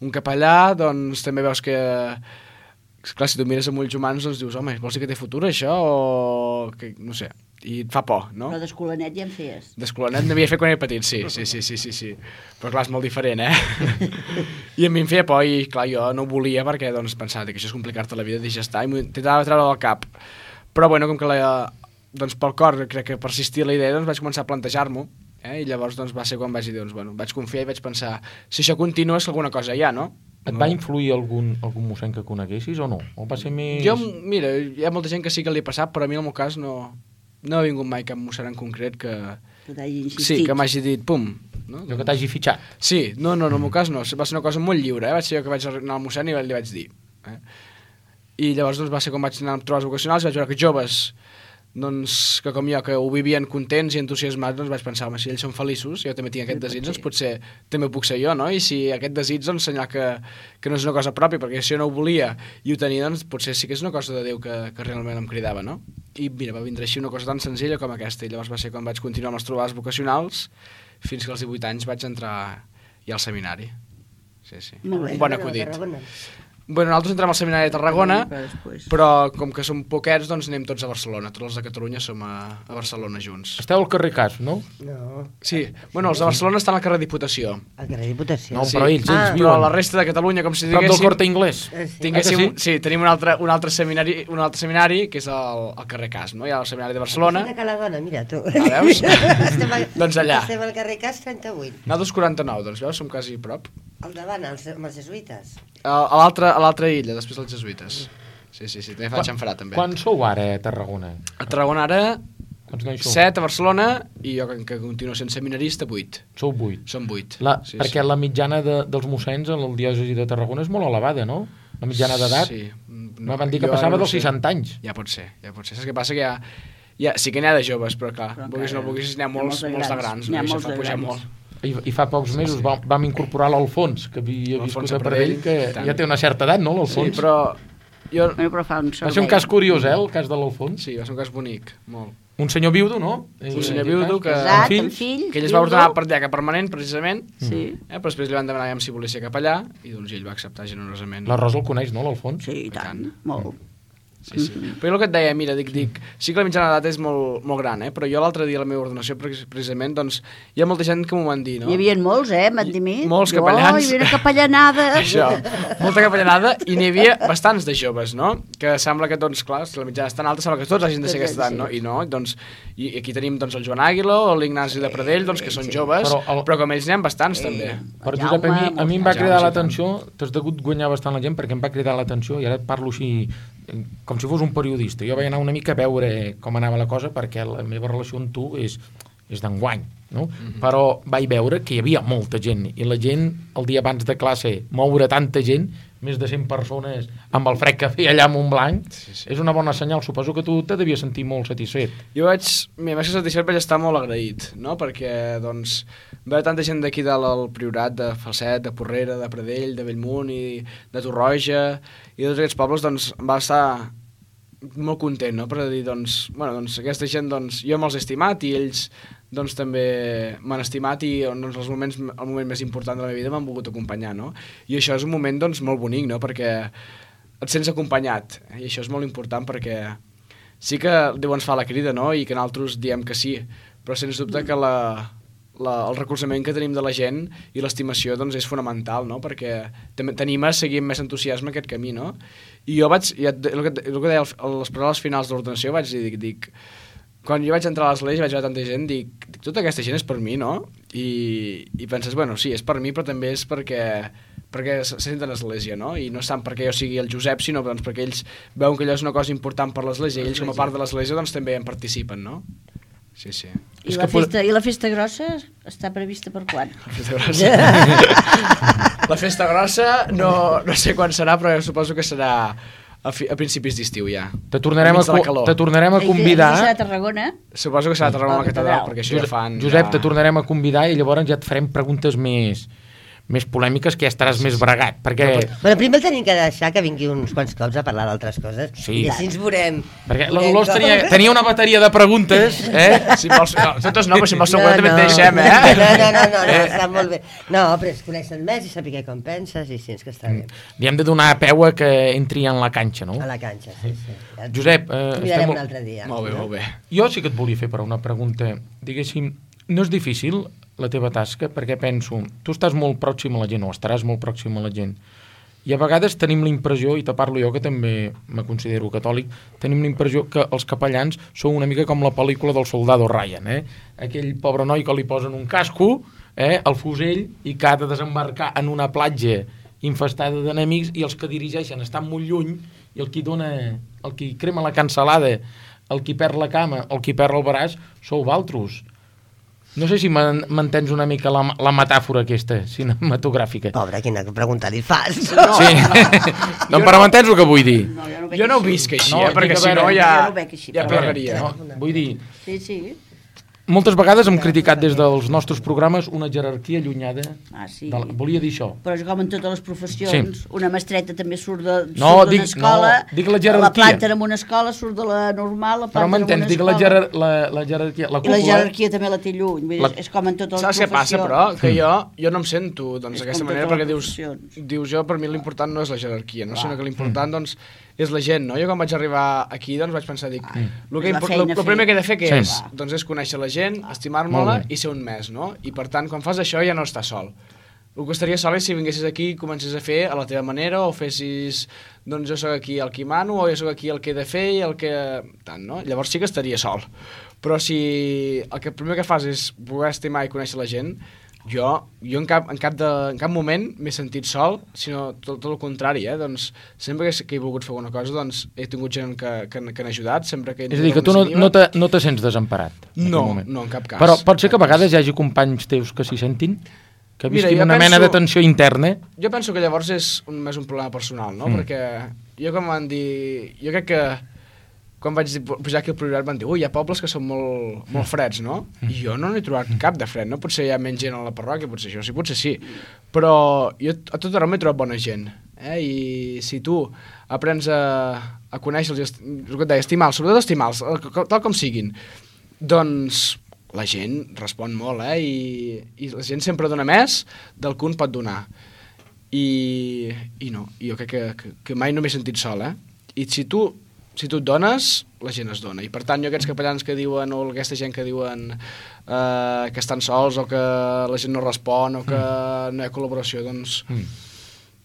Un capellà, doncs també veus que... Clar, si tu mires amb ulls humans, doncs dius, home, vols dir que té futur això? O... Que, no sé, i et fa por, no? Però d'escolanet ja en feies. D'escolanet n'havia fet quan era petit, sí, sí, sí, sí, sí, sí. Però clar, és molt diferent, eh? I a mi em feia por i, clar, jo no ho volia perquè, doncs, pensava que això és complicar-te la vida, deixa estar, i m'intentava treure del cap. Però, bueno, com que la... doncs pel cor crec que persistia la idea, doncs vaig començar a plantejar-m'ho, eh? I llavors doncs, va ser quan vaig dir, doncs, bueno, vaig confiar i vaig pensar, si això continua és que alguna cosa hi ha, no? Et va influir algun, algun mossèn que coneguessis o no? O va ser més... Jo, mira, hi ha molta gent que sí que li ha passat, però a mi en el meu cas no, no ha vingut mai cap mossèn en concret que... Que t'hagi insistit. Sí, que m'hagi dit, pum. No? Jo que t'hagi fitxat. Sí, no, no, no, en el meu cas no, va ser una cosa molt lliure, eh? Vaig ser jo que vaig anar al mossèn i li vaig dir. Eh? I llavors doncs, va ser quan vaig anar a trobar els vocacionals i vaig veure que joves, doncs, que com jo, que ho vivien contents i entusiasmats, doncs vaig pensar, home, si ells són feliços, jo també tinc aquest desig, doncs potser també ho puc ser jo, no? I si aquest desig, doncs, senyal que, que no és una cosa pròpia, perquè si jo no ho volia i ho tenia, doncs potser sí que és una cosa de Déu que, que realment em cridava, no? I mira, va vindre així una cosa tan senzilla com aquesta, i llavors va ser quan vaig continuar amb les trobades vocacionals, fins que als divuit anys vaig entrar ja al seminari. Sí, sí. Molt bé. Un bon acudit. Tarragona. Bueno, nosaltres entrem al seminari de Tarragona, Però després... però com que som poquets, doncs anem tots a Barcelona. Tots els de Catalunya som a, a Barcelona junts. Esteu al carrer Cas, no? No, Sí, bueno, els de Barcelona estan al carrer Diputació. al carrer Diputació. No, Sí. però ells, ells Ah, Però viuen. la resta de Catalunya, com si Prop del diguéssim... Corte Inglés. Eh, sí. Tinguéssim, Ah, sí? sí, tenim un altre, un altre seminari, un altre seminari que és el, el carrer Cas, no? Hi ha el seminari de Barcelona. De Caladona, mira tu. Ah, veus? estem a, Doncs allà. Estem al carrer Cas trenta-vuit. Nosaltres quaranta-nou, doncs veus, som quasi a prop. Al davant, als, amb els jesuïtes. A, a l'altra a l'altra illa, després dels jesuïtes. Sí, sí, sí, també fa xamfrà, també. Quan sou ara a Tarragona? A Tarragona ara, Quants nois sou? set a Barcelona, i jo, que, que continuo sent seminarista, vuit. Sou vuit. Som vuit. La, sí, perquè sí. la mitjana de, dels mossens a la diòcesi de Tarragona és molt elevada, no? La mitjana d'edat. Sí. No, van dir que jo passava ara no dels sé. seixanta anys. Ja pot ser, ja pot ser. Saps què passa? Que hi ha, hi ha, sí que n'hi ha de joves, però clar, Però vulguis o no encara vulguis, n'hi ha n'hi ha molts, molts de molts de grans. grans, N'hi no? ha I això molts fa de pujar grans. molt. I, i fa pocs mesos vam, vam incorporar l'Alfons, que havia L'Alfons viscut de a Pradell, que Pradell, ja té una certa edat, no, Sí, l'Alfons? però... Jo... Bueno, però fa un Va servei. ser un cas curiós, eh, el cas de l'Alfons. Sí, va ser un cas bonic, molt. Un senyor viudo, no? Un senyor viudo que... Casat, Amb amb fills, fills, Que ell es va viudo. ordenar per diaca permanent, precisament, Sí, eh? però després li van demanar si volia ser capellà, i doncs ell va acceptar generosament. La Rosa el coneix, no, l'Alfons? sí, i tant, molt. Sí, sí. Però jo el que et deia, mira, dic, dic, sí que la mitjana d'edat és molt, molt gran, eh? Però jo l'altre dia a la meva ordenació, precis- precisament, doncs, hi ha molta gent que m'ho van dir, no? Hi havia molts, eh, m'han dit mi. Molts Jo, capellans. hi havia una capellanada. Això, molta capellanada, i n'hi havia bastants de joves, no? Que sembla que, doncs, clar, si la mitjana és tan alta, sembla que tots hagin de ser aquesta edat, no? I no, doncs, i aquí tenim, doncs, el Joan Àguila o l'Ignasi de Pradell, doncs, que són joves, Però però, el- però com ells n'hi ha bastants, també. Però Jaume, Josep, a mi, a mi em va Jaume, cridar sí, l'atenció, t'has degut guanyar bastant la gent perquè em va cridar l'atenció, i ara et parlo així eh, com si fos un periodista. Jo vaig anar una mica a veure com anava la cosa perquè la meva relació amb tu és, és d'enguany, no? Mhm. Però vaig veure que hi havia molta gent, i la gent, el dia abans de classe, moure tanta gent, més de cent persones, amb el fred que feia allà a Montblanc, Sí, sí. és una bona senyal. Suposo que tu te devies sentir molt satisfet. Jo vaig, mira, més que satisfet vaig estar molt agraït, no? Perquè, doncs, veure tanta gent d'aquí dalt al Priorat, de Falset, de Porrera, de Pradell, de Bellmunt i de Torroja, i de tots aquests pobles, doncs, em va estar molt content, no?, per dir, doncs, bueno, doncs aquesta gent, doncs, jo me'ls he estimat i ells, doncs, també m'han estimat i doncs, els moments, el moment més important de la meva vida m'han volgut acompanyar, no? I això és un moment, doncs, molt bonic, no?, perquè et sents acompanyat, eh? I això és molt important perquè sí que Déu ens fa la crida, no?, i que nosaltres diem que sí, però sens dubte que la, la, el recolzament que tenim de la gent i l'estimació, doncs, és fonamental, no?, perquè t'anima a seguir amb més entusiasme aquest camí, no? I jo vaig, ja, el, que, el que deia a les paraules finals de l'ordenació, vaig dir, dic, dic, quan jo vaig entrar a l'església vaig veure tanta gent, dic, dic, tota aquesta gent és per mi, no? I, i penses, bueno, sí, és per mi, però també és perquè, perquè se senten a l'església, no? I no és tant perquè jo sigui el Josep, sinó doncs, perquè ells veuen que allò és una cosa important per l'església i ells com a part de l'església doncs també en participen, no? Sí, sí. I, la festa, I la festa grossa està prevista per quan? La festa grossa, la festa grossa no, no sé quan serà, però suposo que serà a, fi, a principis d'estiu ja. Te tornarem, a, te tornarem a convidar... I serà a Tarragona? Suposo que serà a Tarragona a la catedral, perquè això Josep, ja fan... Josep, ja... te tornarem a convidar i llavors ja et farem preguntes més... més polèmiques, que ja estaràs sí, més bregat, perquè... Bueno, primer el tenim que deixar que vingui uns quants cops a parlar d'altres coses, sí, i així ens veurem. Perquè la Dolors tenia, tenia una bateria de preguntes, eh? Si vols, no, nosaltres no, però si vols segur no, també no. et deixem, eh? No, no, no, no, no, està molt bé. No, però es coneixen més i saber com penses, i sí, és que està bé. Li hem de donar peu a que entri en la canxa, no? A la canxa, sí, sí. Ja Josep, eh, estem un altre dia. Molt bé, molt bé. Jo sí que et volia fer per una pregunta. Diguéssim, no és difícil la teva tasca, perquè penso, tu estàs molt pròxim a la gent, o estaràs molt pròxim a la gent, i a vegades tenim la impressió, i te parlo jo que també me considero catòlic, tenim la impressió que els capellans són una mica com la pel·lícula del soldado Ryan, eh? Aquell pobre noi que li posen un casco, eh, al fusell, i que ha de desembarcar en una platja infestada d'enemics, i els que dirigeixen estan molt lluny, i el qui dona, el qui crema la cansalada, el qui perd la cama, el qui perd el braç, sou valtros. No sé si m'entens una mica la, la metàfora aquesta, cinematogràfica. Pobre, quina pregunta li fas. No. Sí. No, però m'entens el que vull dir? No, jo no, jo no ho visc així, no, eh, perquè si no ja, no així, ja plegaria. No, vull dir, sí, sí. moltes vegades hem criticat des dels nostres programes una jerarquia allunyada. Ah, sí. De la... Volia dir això. Però és com en totes les professions. Sí. Una mestreta també surt d'una no, escola, no, dic la jerarquia. La planta en una escola surt de la normal, la planta en una escola. Però m'entens, dic la, jerar, la, la jerarquia. La cúpula, I la jerarquia també la té lluny. Vull dir, la... És com en totes les Saps professions. Saps què passa, però? Que jo, jo no em sento doncs, d'aquesta manera, perquè dius, professions. dius jo, per mi l'important no és la jerarquia, no? Sinó que l'important, doncs, és la gent, no? Jo quan vaig arribar aquí, doncs vaig pensar, dic, mm. el, que el, el primer que he de fer què sí. és? Doncs és conèixer la gent, estimar-me-la i ser un mes, no? I per tant, quan fas això ja no estàs sol. El que estaria sol és si vinguessis aquí i comences a fer a la teva manera, o fessis, doncs jo sóc aquí el que mano, o jo sóc aquí el que he de fer i el que... tant, no? Llavors sí que estaria sol. Però si el que primer que fas és poder estimar i conèixer la gent, jo, jo en, cap, en, cap de, en cap moment m'he sentit sol, sinó tot, tot el contrari, eh? Doncs sempre que, que he volgut fer alguna cosa, doncs he tingut gent que, que, que han ajudat, sempre que... És a dir, que tu no, no, te, no te sents desemparat? No, no, en cap cas. Però pot ser que a vegades hi hagi companys teus que s'hi sentin? Que visquin Mira, una penso, mena de tensió interna? Jo penso que llavors és un, més un problema personal, no? Mm. Perquè jo quan van dir... Jo crec que quan vaig pujar aquí al Priorat van dir ui, hi ha pobles que són molt, molt freds, no? I jo no n'he trobat cap de fred, no? Potser hi ha menys gent a la parròquia, potser això sí, potser sí. Però jo a tot arreu m'he trobat bona gent. Eh? I si tu aprens a, a conèixer-los, el que et deia, estimar-los, sobretot estimar-los, tal com siguin, doncs la gent respon molt, eh? I, i la gent sempre dona més del que un pot donar. I, i no, jo crec que, que, que mai no m'he sentit sol, eh? I si tu si tu et dones, la gent es dona. I per tant, jo aquests capellans que diuen, o aquesta gent que diuen eh, que estan sols, o que la gent no respon, o que mm. no hi ha col·laboració, doncs, mm.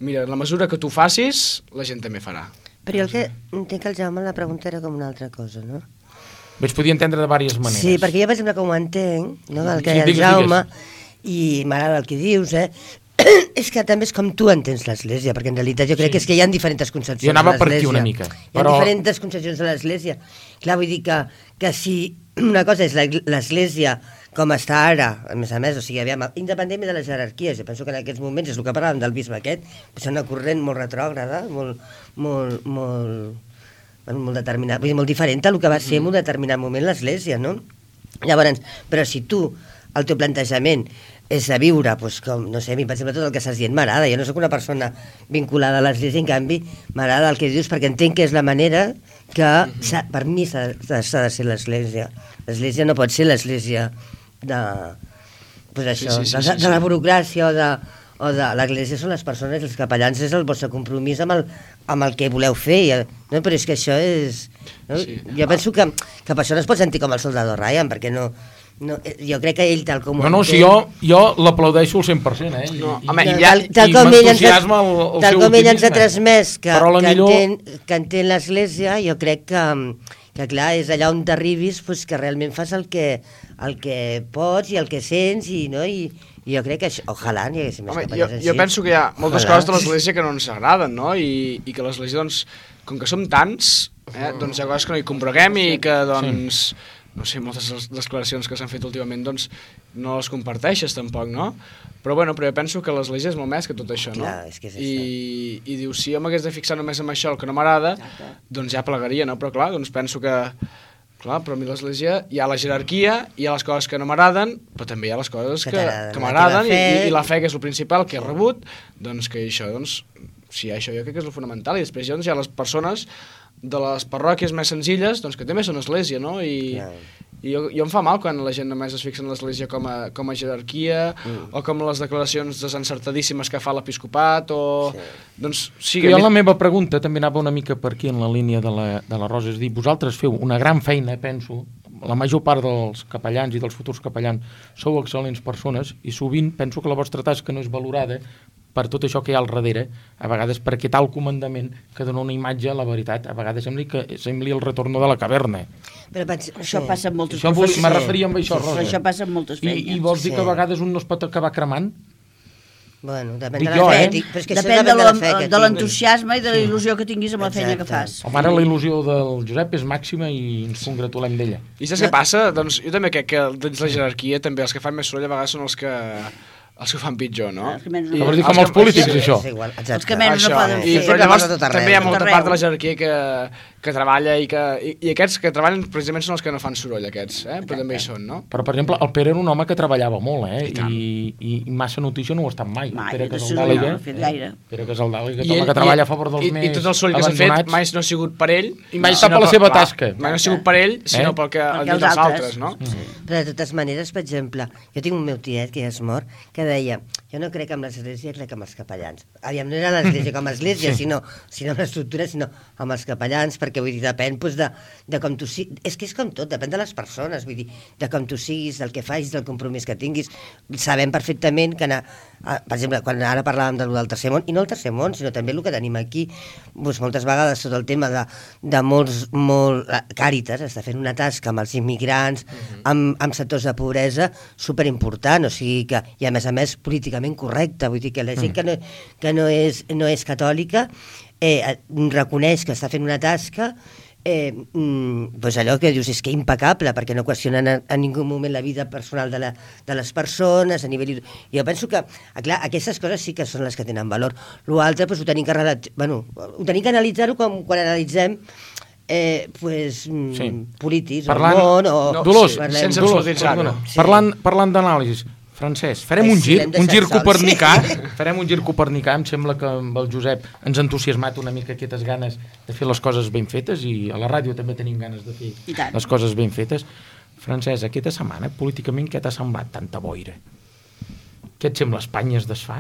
mira, en la mesura que tu facis, la gent també farà. Però jo el que entenc que el Jaume la pregunta era com una altra cosa, no? Bé, es podia entendre de diverses maneres. Sí, perquè jo, per exemple, com ho entenc, no? El que sí, hi ha el digues, Jaume, digues. I m'agrada el que dius, eh? És que també és com tu entens l'Església, perquè en realitat jo crec sí. que és que hi ha diferents concepcions jo anava de l'Església. Per aquí una mica. Hi ha però... diferents concepcions de l'Església. Clar, vull dir que, que si una cosa és l'Església com està ara, a més a més, o sigui, aviam, independentment de les jerarquies, jo penso que en aquests moments, és el que parlàvem del bisbe aquest, és una corrent molt retrògrada, molt, molt, molt, molt determinat, vull dir, molt diferent a el que va ser en un determinat moment l'Església, no? Llavors, però si tu el teu plantejament és de viure, doncs, com, no sé, a mi, per exemple, tot el que estàs dient m'agrada. Jo no sóc una persona vinculada a l'Església, en canvi, m'agrada el que dius, perquè entenc que és la manera que, per mi, s'ha de ser l'Església. L'Església no pot ser l'Església de, pues això, sí, sí, sí, de, de, de la burocràcia o de, o de l'Església són les persones, els capellans és el vostre compromís amb el, amb el que voleu fer, no? Però és que això és... No? Sí. Jo penso que, que per això no es pot sentir com el soldado Ryan, perquè no... No, jo crec que ell tal com... No, no, si jo, jo l'aplaudeixo al cent per cent, eh? I, no, i, home, i, ja, i, tal com ell ens ha, el, el tal com ell ens ha transmès que, que, millor... entén, que entén l'Església, jo crec que, que clar, és allà on t'arribis pues, que realment fas el que, el que pots i el que sents i, no? I, i jo crec que això, ojalà n'hi haguessin més Home, capellans jo, així. jo penso que hi ha moltes ojalà. Coses de l'Església que no ens agraden, no? I, i que l'Església, doncs, com que som tants, eh, doncs hi ha coses que no hi compreguem i que, doncs, sí. no sé, moltes de les declaracions que s'han fet últimament, doncs, no les comparteixes tampoc, no? Però, bueno, però jo penso que l'Església és molt més que tot això, no? Clar, és que és I, I diu, si jo m'hagués de fixar només en això, el que no m'agrada, doncs ja plegaria, no? Però, clar, doncs penso que... Clar, però a mi l'Església hi ha la jerarquia, hi ha les coses que no m'agraden, però també hi ha les coses que, que m'agraden i, i la fe, que és el principal, que he rebut, doncs que això, doncs, sí, això jo crec que és el fonamental. I després doncs, hi ha les persones de les parròquies més senzilles, doncs que també són església, no? I, i jo, jo em fa mal quan la gent només es fixa en l'església com a, com a jerarquia, mm. o com les declaracions desencertadíssimes que fa l'episcopat, o... Sí. Doncs, sí, jo mi... la meva pregunta també anava una mica per aquí en la línia de la, de la Rosa, és dir, vosaltres feu una gran feina, penso, la major part dels capellans i dels futurs capellans sou excel·lents persones i sovint penso que la vostra tasca no és valorada per tot això que hi ha al darrere, a vegades per aquest alt comandament que dona una imatge a la veritat, a vegades sembli que sembli el retorno de la caverna. Però vaig, això passa en moltes això professions. Me referia amb això, Rosa. Però això passa en moltes feines. I, i vols dir sí. que a vegades un no es pot acabar cremant? Bueno, depèn Dic de la jo, fe, eh? dic, però és que depèn això depèn de, de l'entusiasme i de la il·lusió que tinguis amb la feina que fas. Home, ara la il·lusió del Josep és màxima i ens congratulem d'ella. I saps què passa? Doncs jo també crec que dins la jerarquia també els que fan més soroll a vegades són els que els que ho fan pitjor, no? Els que menys no vols dir com els polítics, això? Els que menys no poden fer. I, però llavors també hi ha molta part de la jerarquia que, que treballa i que i, i aquests que treballen precisament són els que no fan soroll, aquests, eh? Però també hi són, no? Però, per exemple, el Pere era un home que treballava molt, eh? I, i, i massa notícia no ho ha estat mai. Mai, Pere de soroll no ha fet gaire. Pere Casaldàliga, que home que treballa a favor dels i, més I tot el soroll que s'ha fet mai no ha sigut per ell. I mai està per la seva tasca. Mai no ha sigut per ell, sinó pel que els altres, no? Però de totes maneres, per exemple, jo tinc un meu tiet que ja és mort, que deia, jo no crec en l'església, crec en els capellans. Aviam, no era l'església com a església, sí. sinó, sinó amb l'estructura, sinó amb els capellans, perquè vull dir, depèn doncs, de, de com tu siguis. És que és com tot, depèn de les persones, vull dir, de com tu siguis, del que facis, del compromís que tinguis. Sabem perfectament que, anar, per exemple, quan ara parlàvem del, del tercer món, i no el tercer món, sinó també el que tenim aquí, doncs moltes vegades tot el tema de, de molts, molt... Càritas està fent una tasca amb els immigrants, uh-huh. amb, amb sectors de pobresa, superimportant, o sigui que, i a més a més, políticament correcte, vull dir que la gent que no, que no, és, no és catòlica eh, reconeix que està fent una tasca eh, mm, doncs allò que dius és que impecable, perquè no qüestionen en, en ningú moment la vida personal de, la, de les persones a nivell... Jo penso que, clar, aquestes coses sí que són les que tenen valor. L'altre, doncs, ho tenim que, relat... bueno, ho tenim que analitzar-ho quan, quan analitzem Eh, pues, sí. polítics, parlant, o món, o... No, Dolors, sí, sense absolutitzar-ho. Sí. Parlant, parlant d'anàlisis, Francesc, farem un gir, un gir copernicà, sí. farem un gir copernicà, em sembla que amb el Josep ens ha entusiasmat una mica aquestes ganes de fer les coses ben fetes, i a la ràdio també tenim ganes de fer les coses ben fetes. Francesc, aquesta setmana, políticament, què t'ha semblat tanta boira? Què et sembla, Espanya es desfà?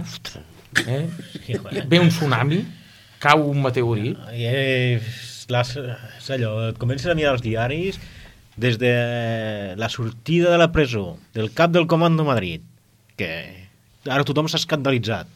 Eh? Ve un tsunami? Cau un meteorit? Eh, les, és allò, comences a mirar els diaris des de la sortida de la presó del cap del Comando Madrid, que ara tothom s'ha escandalitzat.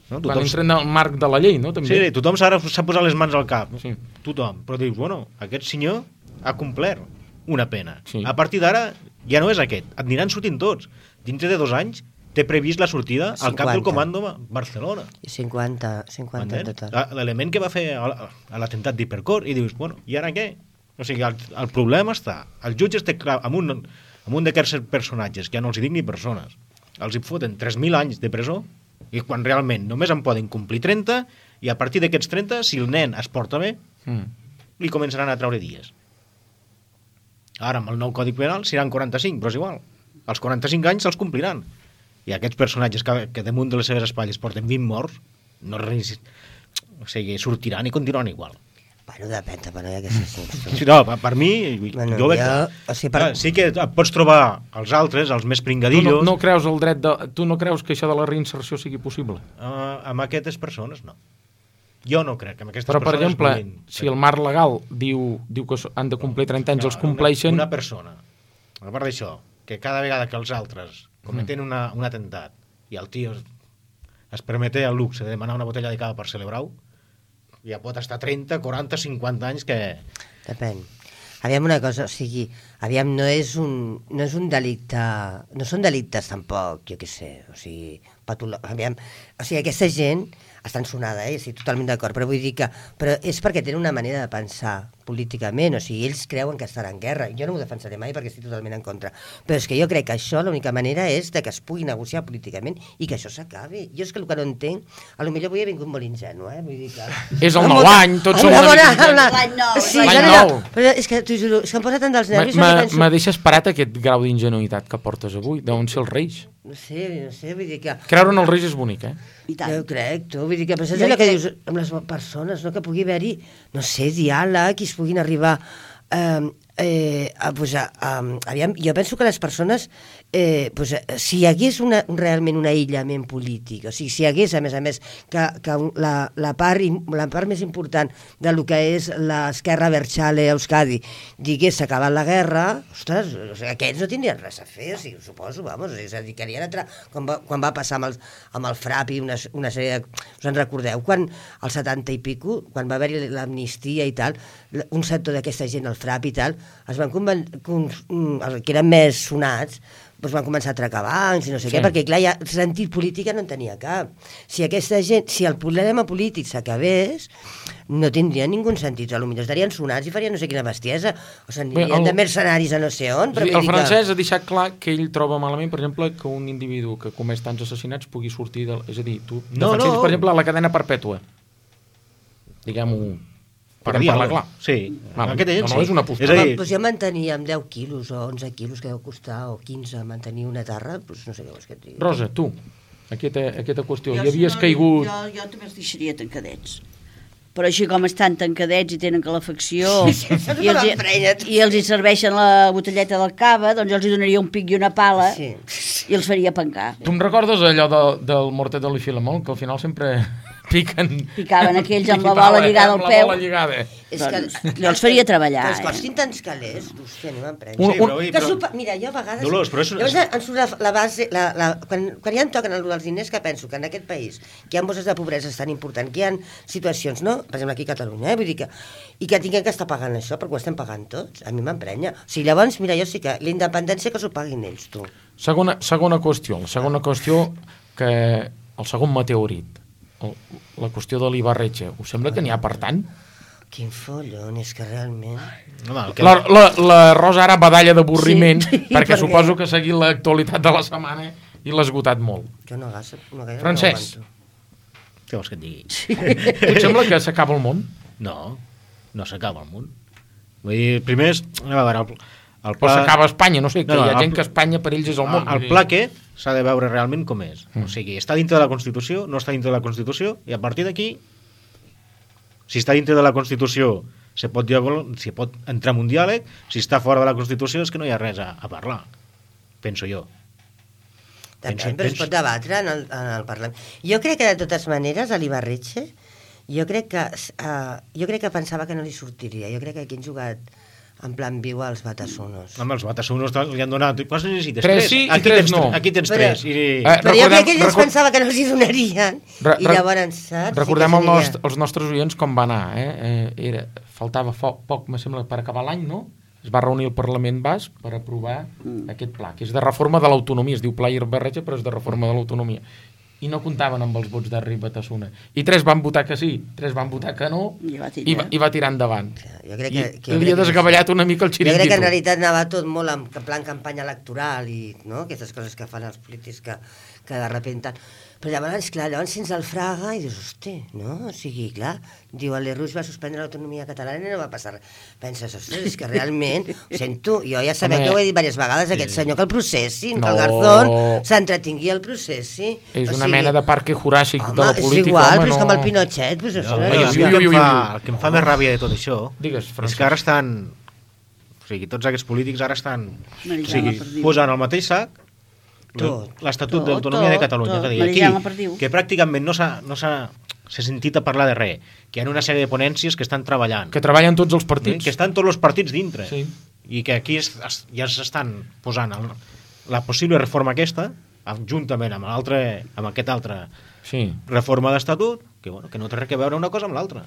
No? Tothom... Quan entren al marc de la llei, no? També. Sí, tothom ara s'ha posat les mans al cap. Sí. Tothom. Però dius, bueno, aquest senyor ha complert una pena. Sí. A partir d'ara ja no és aquest. Et aniran sortint tots. Dintre de dos anys té previst la sortida al cap del Comando Barcelona. cinquanta, cinquanta en total. L'element que va fer a l'atemptat d'Hipercor, i dius, bueno, i ara què? O sigui, el, el problema està... El jutge té clar, amb un, amb un d'aquests personatges, que ja no els hi dic ni persones, els hi foten tres mil anys de presó, i quan realment només en poden complir trenta, i a partir d'aquests trenta, si el nen es porta bé, mm. li començaran a treure dies. Ara, amb el nou Codi Penal, seran quaranta-cinc, però és igual. als quaranta-cinc anys se'ls compliran. I aquests personatges que, que damunt de les seves espatlles porten vint morts, no res, o sigui, sortiran i continuaran igual. Bueno, depèn, però hi ha aquestes... Sí, no, per, per mi, Bueno, jo veig... jo- o sigui, per- Clar, sí que et pots trobar els altres, els més Tu no, pringadillos, no creus el dret de... Tu no creus que això de la reinserció sigui possible? uh, amb aquestes persones, no. Jo no crec que amb aquestes Però, per persones... exemple, puguin- si el marc legal diu, diu que han de complir trenta anys, els compleixen... Una, una persona, a part d'això, que cada vegada que els altres cometen Mm. una, un atemptat i el tio es, es permete el luxe de demanar una botella de cava per celebrar-ho, ja pot estar trenta, quaranta, cinquanta anys que... Depèn. Aviam una cosa, o sigui, aviam, no és un, no és un delicte... No són delictes tampoc, jo què sé, o sigui, patolo... aviam, o sigui, aquesta gent està ensonada, eh? Estic totalment d'acord, però vull dir que... Però és perquè tenen una manera de pensar políticament, o sigui, ells creuen que estan en guerra. Jo no ho defensaré mai perquè estic totalment en contra. Però és que jo crec que això l'única manera és de que es pugui negociar políticament i que això s'acabi. Jo és que el que no entenc, a lo millor avui he vingut molt ingenu, eh? Vull dir que... És el Amb nou una- any, tots amb som una una bona- mica amb la- L'any nou, Sí, l'any no, no, nou. no, però és que t'ho juro, és que em posa tant dels nervis, jo Me penso... me deixes parat aquest grau d'ingenuïtat que portes avui, d'on ser els reis. No sé, no sé, vull dir que... Creure en els reis és bonic, eh? I tant. Jo crec, tu, vull dir que però saps Jo allò que crec- dius amb les persones, no? Que pugui haver-hi, no sé, diàleg, i es puguin arribar eh, eh, a, pues a, a, aviam, jo penso que les persones eh, pues, eh, si hi hagués una, realment un aïllament polític, o sigui, si hi hagués a més a més que, que un- la, la, part, im- la part més important del que és l'esquerra Berchale a Euskadi digués s'ha acabat la guerra, ostres, o sigui, aquests no tindrien res a fer, o sigui, suposo, vamos, o sigui, es dedicarien a tra... quan, va, quan va passar amb el, amb el FRAP i una, una sèrie de... Us en recordeu? Quan al setanta i pico, quan va haver-hi l'amnistia i tal, un sector d'aquesta gent, el FRAP i tal, es van conven... con... els que eren més sonats, doncs van començar a atracar bancs i no sé Sí. què, perquè clar, ja sentit política no en tenia cap. Si aquesta gent, si el problema polític s'acabés, no tindria ningú sentit. Potser estarien sonats i farien no sé quina bestiesa, o s'anirien Bé, el- de mercenaris a no sé on. Però Sí, vull el dir francès ha deixat clar que ell troba malament, per exemple, que un individu que comès tants assassinats pugui sortir del... És a dir, tu No, defenses, no. per exemple, la cadena perpètua. Diguem-ho... Per podem dir parlar alguna clar. cosa. Sí, Val, aquest ell no, no, sí. és una És postura. a que... dir, Doncs jo mantenia amb deu quilos o onze quilos que deu costar, o quinze, mantenir una terra, doncs no sé què vols que et digui. Rosa, tu, aquesta, aquesta qüestió, Jo, hi havies si no, caigut... Jo, jo també els deixaria tancadets. Però així com estan tancadets i tenen calefacció Sí, sí, i, els, m'emprenya. i els hi serveixen la botelleta del cava, doncs jo els hi donaria un pic i una pala Sí. i els faria pencar. Tu em recordes allò de, del Mortadelo i Filemón, que al final sempre piquen... Picaven aquells amb la Picaven, bola lligada amb al la peu. bola lligada. És Doncs que, jo els faria treballar, Que els eh? costin tants calés, hòstia, a mi m'emprenya. Un- sí, però, oi, Que però... supa... Mira, jo a vegades... Dolors, però és una- Llavors em surt la, la base... La, la, quan, quan ja em toquen el, els diners, que penso que en aquest país que hi ha bosses de pobresa tan important, que hi ha situacions, no? Per exemple, aquí a Catalunya, eh? Vull dir que... I que tinguem que estar pagant això, perquè ho estem pagant tots. A mi m'emprenya. O sigui, llavors, mira, jo sí que la independència que s'ho paguin ells, tu. Segona, segona qüestió, la segona qüestió que... El segon meteorit, el, la qüestió de l'Ibarretxe. Us sembla que n'hi ha per tant? Quin follon, és que realment... Home, el que... La, la, la Rosa ara badalla d'avorriment, Sí, sí, perquè perquè- suposo que ha seguit l'actualitat de la setmana i l'ha esgotat molt. Jo no gasto... No, gaire Francesc. no aguanto. Què vols que et digui? Et sembla que s'acaba el món? No, no s'acaba el món. Vull dir, primer és... A veure, el, el O pla... s'acaba Espanya? No sé, que No, no, hi ha el- gent que Espanya per ells és el món. El, vull el dir. pla aquest s'ha de veure realment com és. Mm. O sigui, està dintre de la Constitució, no està dintre de la Constitució, i a partir d'aquí, si està dintre de la Constitució, se pot, diàleg, se pot entrar en un diàleg, si està fora de la Constitució és que no hi ha res a, a parlar, penso jo. Depèn, Penso- però es penso- pot debatre en el, en el Parlament. Jo crec que, de totes maneres, a l'Ibarretxe, jo crec que uh, jo crec que pensava que no li sortiria. Jo crec que aquí han jugat en plan viu als Batasunos. Amb els Batasunos li han donat... Quants necessites? Tres sí i aquí tres tens, no. Aquí tens Però- tres. I... Eh, Però jo recordem- crec que ell es record- pensava que no els hi donarien, Re- i re- llavors, saps? Recordem sí el que nost seria... els nostres oients com va anar. Eh? Eh, era, faltava fo poc, me sembla, per acabar l'any, no? Es va reunir el Parlament Basc per aprovar mm. aquest pla, que és de reforma de l'autonomia. Es diu Pla Ibarretxe, però és de reforma de l'autonomia. I no comptaven amb els vots d'Arri Batasuna. I tres van votar que sí, tres van votar que no, I va tirar. i va, i va tirar endavant. Jo crec I, que, que, I li ha desgavellat una mica el Jo crec que en xiringuito. realitat anava tot molt en plan campanya electoral i no? Aquestes coses que fan els polítics que, que de repente... Però llavors, clar, llavors sents el Fraga i dius, hosti, no? O sigui, clar, diu, el Lerroux va suspendre l'autonomia catalana i no va passar res. Penses, ostres, és que realment, ho sento, jo ja sabeu Home, que ho he dit diverses vegades, aquest senyor que el processin, No. que el Garzón s'entretingui al processi. És O una sigui, mena de parque juràssic home, de la política, és igual, home, però és no... com el Pinochet, doncs això. No, Ui, el, ui, que ui, em ui, fa, ui. el que em fa més ràbia de tot això Digues, és Francesc. que ara estan... O sigui, tots aquests polítics ara estan o Marijana sigui, Perdiu. posant al mateix sac Tot. l'Estatut Tot, d'Autonomia de tot, Catalunya. tot. És a dir, Marijana Perdiu. aquí, que pràcticament no s'ha no s'ha s'ha sentit a parlar de res, que hi ha una sèrie de ponències que estan treballant, Que treballen tots els eh, partits. que estan tots els partits dintre, Sí. i que aquí es, es, ja s'estan posant el, la possible reforma aquesta, amb- juntament amb, l'altre, amb aquest altre Sí. reforma d'estatut, que, bueno, que no té res a veure una cosa amb l'altra.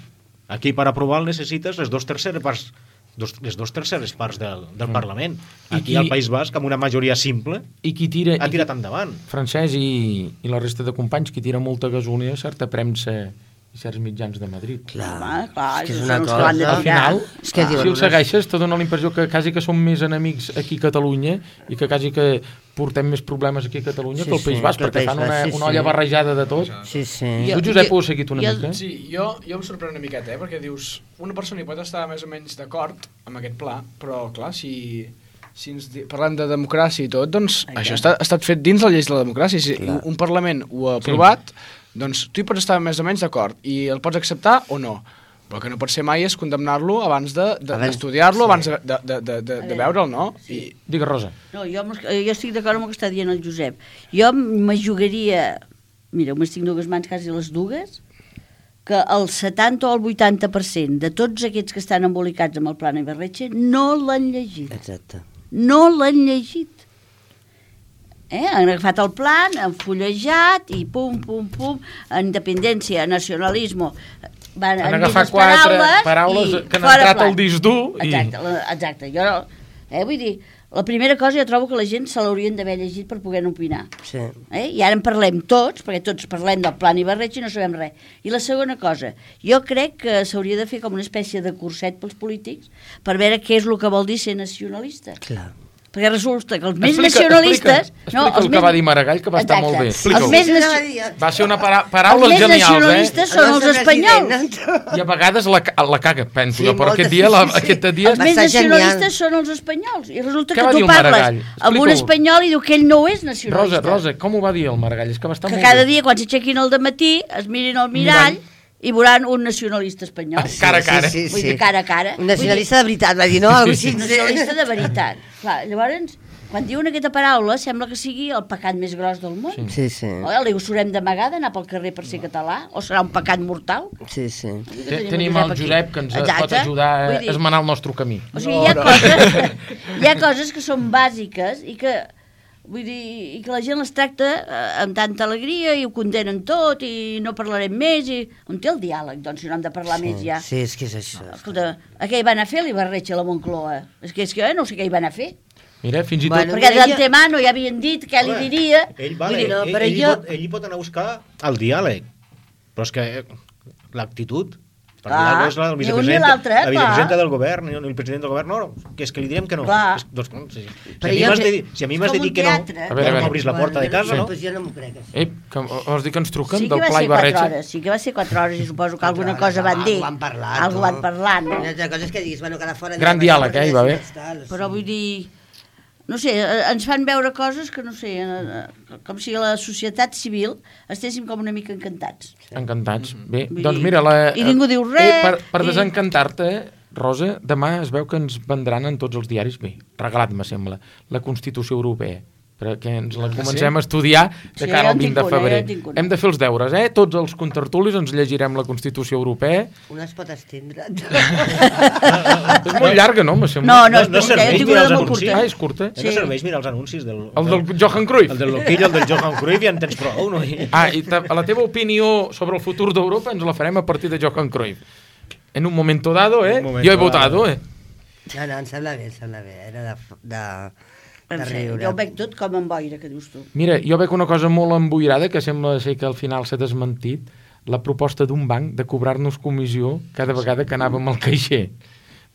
Aquí per aprovar necessites les dos terceres parts dos, les dos terceres parts del, del Mm. Parlament. I Aquí qui- al País Basc, amb una majoria simple, I qui tira... ha i qui- tirat endavant. Francesc i, i la resta de companys, qui tira molta gasolina a certa premsa i certs mitjans de Madrid. Clar, Home, clar, és que és són una els que l'han de cosa... Al tirar. final, És que si diuen el segueixes, te dona la impressió que quasi que som més enemics aquí a Catalunya i que quasi que portem més problemes aquí a Catalunya Sí, que al País sí, Basc, que al perquè País fan una, Basc, sí, una olla sí. barrejada de tot. Sí, sí. Jo- Tu, Josep, jo- ho has seguit una jo- mica? Sí, jo, jo em sorprèn una miqueta, eh? Perquè dius, una persona hi pot estar més o menys d'acord amb aquest pla, però clar, si, si ens di- parlem de democràcia i tot, doncs Ai, això clar. està, ha estat fet dins la llei de la democràcia. Si Clar. un Parlament ho ha aprovat, doncs tu hi pots estar més o menys d'acord i el pots acceptar o no. Però el que no pot ser mai és condemnar-lo abans de- de- Abans- d'estudiar-lo, sí. abans de, de, de, de, de, de veure'l, no? I, Digues, Rosa. No, jo, amb els- jo estic d'acord amb el que està dient el Josep. Jo me jugaria, mira, només tinc dues mans, quasi les dues, que el setanta o el vuitanta per cent de tots aquests que estan embolicats amb el Plan Ibarretxe no l'han llegit. Exacte. No l'han llegit. Eh? Han agafat el plan, han fullejat i pum, pum, pum, independència, nacionalisme, van, Han dit agafat les quatre paraules, paraules i que han fora entrat plan. al disc dur i- Exacte, la- exacte. Jo, no- eh, vull dir, la primera cosa jo trobo que la gent se l'haurien d'haver llegit per poder opinar. Sí. Eh? I ara en parlem tots, perquè tots parlem del plan Ibarretxe i no sabem res. I la segona cosa, jo crec que s'hauria de fer com una espècie de curset pels polítics per veure què és el que vol dir ser nacionalista. Clar. Perquè resulta que els més Explica- nacionalistes... explica- explica el que va dir Maragall, que va estar molt bé. Els Explica'ho. més, Això nacio... anava a dir. Va ser una para els paraules més genials, eh? nacionalistes són El els nostre espanyols. president, I a vegades la, ca- la caga, penso Sí, jo, però moltes, aquest dia, la, sí, sí. aquest dia Els Va més ser genial. nacionalistes són els espanyols. I resulta Què que va dir tu el parles Maragall? amb un Explica-ho. espanyol i diu que ell no és Rosa, nacionalista. Rosa, com ho va dir el Maragall? És que va estar Que molt cada bé. dia, quan s'aixequin al dematí, es mirin al mirall i veuran un nacionalista espanyol. Cara a cara. Sí, sí, Vull sí. dir, cara a cara. Un nacionalista de veritat, va dir, no? Algo així. Un nacionalista de veritat. Clar, llavors, quan diuen aquesta paraula, sembla que sigui el pecat més gros del món. Sí. Sí, sí. O li haurem d'amagar d'anar pel carrer per ser català? O serà un pecat mortal? Sí, sí. Te- Tenim el Josep que ens Exacte. pot ajudar Vull a dir, esmenar el nostre camí. O sigui, hi ha, No, no. coses, hi ha coses que són bàsiques i que, vull dir, i que la gent les tracta eh, amb tanta alegria i ho condenen tot i no parlarem més. I... On té el diàleg, doncs, si no hem de parlar més ja? Sí, és que és això. Escolta, a què hi van a fer l'Ibarretxe a la Moncloa? És que, és que jo no sé què hi van a fer. Mira, fins i tot... Bueno, Perquè mira, jo- d'antemano ja havien dit què li Home, diria. Ell, vale, Vull dir, no, ell, però ell, jo- hi pot, ell hi pot anar a buscar el diàleg, però és que eh, l'actitud... Per Clar, diàleg és la del ni un ni vicepresident, l'altre, la clar. vicepresidenta del govern, ni el president del govern, no, no, que és que li direm que no. Clar. És, doncs, no, sí. Si, Però a mi jo m'has que- de, dir- si a mi m'has de Com dir un que no, teatre. A veure, a no veure. m'obris la porta de casa, no? Doncs jo no m'ho crec, això. Ei, que vols dir que ens truquen Sí que del va Pla ser quatre Ibarretxe? hores, sí que va ser quatre hores i suposo que Quatre alguna hores, cosa van algo dir. han parlat, Algo no? van parlar, no? Una altra cosa és que diguis, bueno, que ara fora... Gran diàleg, eh, hi va haver. Però vull dir, no sé, eh, ens fan veure coses que, no sé, eh, eh, com si a la societat civil estéssim com una mica encantats. Encantats. Bé, Vull doncs dir, mira... La, i ningú diu eh, res, per per i- desencantar-te, Rosa, demà es veu que ens vendran en tots els diaris, bé, regalat, me sembla, la Constitució Europea, perquè ens la comencem a estudiar de Sí, cara jo al en vint tinc de una, febrer. jo en tinc una. Hem de fer els deures, eh? Tots els contertulis ens llegirem la Constitució Europea. Una es pot estendre. És molt llarga, no? Me sembla. No, no, No- és no curta, serveix jo tinc mirar una els de molt anuncis. curta. Ah, és curta. Sí. No serveix mirar els anuncis del... El del Johan Cruyff. El del Loquillo, el del Johan Cruyff, ja en tens prou, no? I- Ah, i ta- la teva opinió sobre el futur d'Europa ens la farem a partir de Johan Cruyff. En un momento dado, eh? Un momento Jo he dado. votado, eh? No, no, em sembla bé, em sembla bé. Era de, de, de En fi, riure. jo ho veig tot com en boira, que dius tu. Mira, jo veig una cosa molt emboirada que sembla ser que al final s'ha desmentit, la proposta d'un banc de cobrar-nos comissió cada vegada que anàvem al caixer.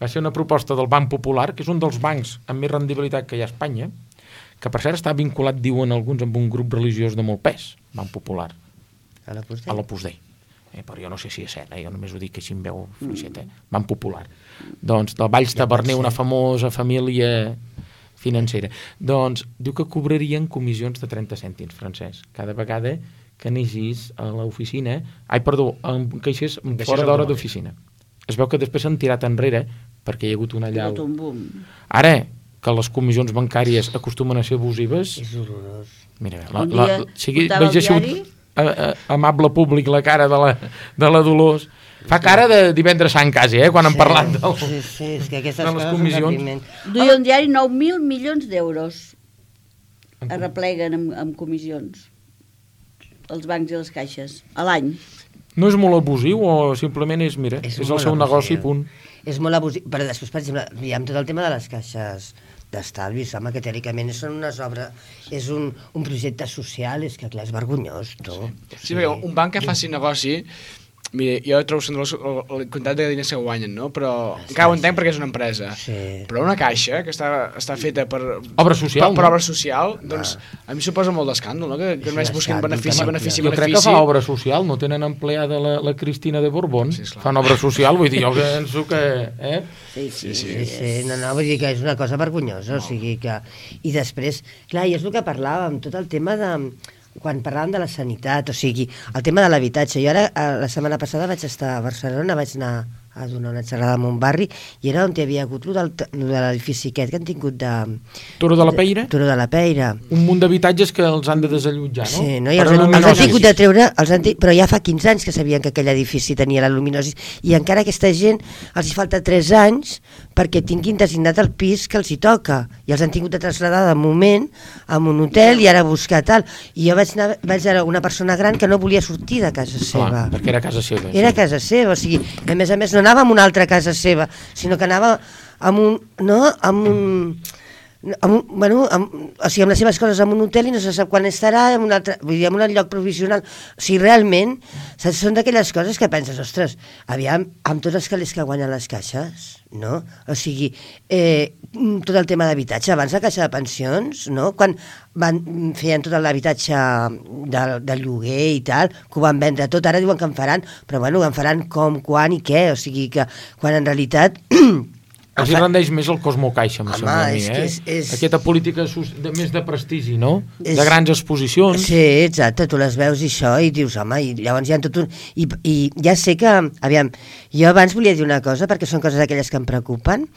Va ser una proposta del Banc Popular, que és un dels bancs amb més rendibilitat que hi ha a Espanya, que per cert està vinculat, diuen alguns, amb un grup religiós de molt pes, Banc Popular. A l'Opus Dei? A l'Opus Dei. Eh, però jo no sé si és cert, eh? Jo només ho dic així em veu fluixet, eh? Van popular. Doncs del Valls Taverner, una famosa família financera. Doncs diu que cobrarien comissions de trenta cèntims, Francesc, cada vegada que anessis a l'oficina, ai, perdó, en caixers fora d'hora d'oficina. Es veu que després s'han tirat enrere perquè hi ha hagut una allau. Ara, que les comissions bancàries acostumen a ser abusives... És horrorós. Mira, la, la, la, sigui, veig així a, a, amable públic la cara de la, de la Dolors. Fa cara de divendres sant quasi, eh, quan sí, han parlat del, sí, sí, és que aquestes de les comissions. Duia un diari nou mil milions d'euros. Arrepleguen amb, amb comissions. Els bancs i les caixes. A l'any. No és molt abusiu o simplement és, mira, és, és el seu negoci, punt. És molt abusiu, però després, per exemple, hi ha tot el tema de les caixes d'estalvis, home, que teòricament són unes obres, és un, un projecte social, és que clar, és vergonyós, tu. Sí, sí, perquè un banc que faci negoci, mira, jo trobo que la quantitat de diners que guanyen, no? Però sí, encara ho entenc sí. perquè és una empresa. Sí. Però una caixa que està, està feta per obra social, per, per no? obra social, doncs ah. a mi suposa molt d'escàndol, no? Que, que només busquen benefici, benefici, jo benefici. Jo crec que fa obra social, no tenen empleada la, la Cristina de Borbón, sí, fan obra social, vull dir, jo penso que... Eh? Sí, sí, sí, sí, sí. No, no, vull dir que és una cosa vergonyosa, no. O sigui que... I després, clar, i és el que parlàvem, tot el tema de... quan parlàvem de la sanitat, o sigui, el tema de l'habitatge. Jo ara, la setmana passada vaig estar a Barcelona, vaig anar a donar una xerrada en un barri, i era on hi havia hagut el de l'edifici aquest que han tingut de... Turó de la Peira? Turó de la Peira. Un munt d'habitatges que els han de desallotjar, no? Sí, no? I els, han, els han tingut de treure, els han, però ja fa quinze anys que sabien que aquell edifici tenia la luminosi, i encara aquesta gent els hi falta tres anys perquè tinguin designat el pis que els hi toca, i els han tingut de traslladar de moment a un hotel i ara buscar tal. I jo vaig anar, vaig anar una persona gran que no volia sortir de casa seva. Clar, perquè era casa seva. Era sí. casa seva, o sigui, a més a més no anava a una altra casa seva, sinó que anava amb un... No, amb un... Amb un, bueno, amb, o sigui, amb les seves coses en un hotel i no se sap quan estarà en un altre, vull dir, en un lloc provisional. O sigui, realment, saps, són d'aquelles coses que penses, ostres, aviam, amb tots els calés que guanyen les caixes, no? O sigui, eh, tot el tema d'habitatge, abans la caixa de pensions, no? Quan van, feien tot l'habitatge de, de lloguer i tal, que ho van vendre tot, ara diuen que en faran, però bueno, en faran com, quan i què, o sigui, que quan en realitat... Els hi rendeix més el Cosmo Caixa, em sembla a mi, eh? És, és... Aquesta política de, més de prestigi, no? És... De grans exposicions. Sí, exacte, tu les veus i això, i dius, home, i llavors hi ha tot un... I, i ja sé que, aviam, jo abans volia dir una cosa, perquè són coses aquelles que em preocupen,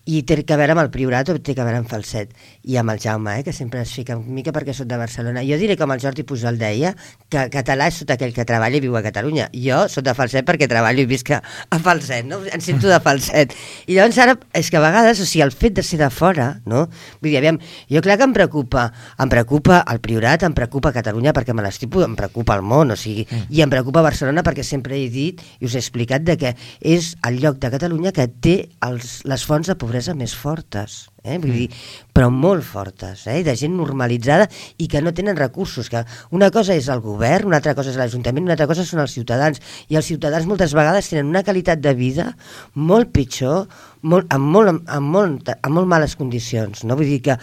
i té que veure amb el Priorat o té que veure amb Falset, i amb el Jaume, eh, que sempre es fica una mica perquè soc de Barcelona. Jo diré com el Jordi Pujol deia, que català és tot aquell que treballa i viu a Catalunya. Jo soc de Falset perquè treballo i visc a Falset, no? Em sento de Falset. I llavors ara, és que a vegades, o sigui, el fet de ser de fora, no? Vull dir, aviam, jo clar que em preocupa, em preocupa el Priorat, em preocupa Catalunya perquè me l'estipo, em preocupa el món, o sigui, mm. i em preocupa Barcelona perquè sempre he dit i us he explicat de que és el lloc de Catalunya que té els, les fonts de pobresa més fortes, eh? Vull dir, però molt fortes, eh? De gent normalitzada i que no tenen recursos, que una cosa és el govern, una altra cosa és l'Ajuntament, una altra cosa són els ciutadans, i els ciutadans moltes vegades tenen una qualitat de vida molt pitjor, molt, amb, molt, amb, molt, amb molt males condicions, no? Vull dir que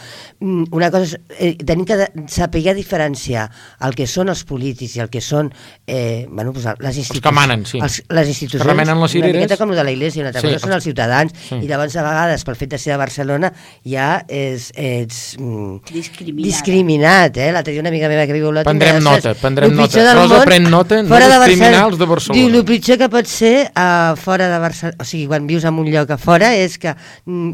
una cosa és, eh, tenim que saber diferenciar el que són els polítics i el que són eh, bueno, pues les institucions, els que manen, sí. els, les institucions, que remenen les cireres, una miqueta com el de la Iglesia, una altra sí, cosa són els ciutadans, sí. I llavors a vegades pel fet de ser de Barcelona ja és, ets mm, discriminat, eh? L'altre dia una amiga meva que viu a Olot prendrem nota, prendrem nota, Rosa pren nota, no discriminar els de Barcelona. Diu, el pitjor que pot ser uh, fora de Barcelona, o sigui, quan vius en un lloc a fora és que,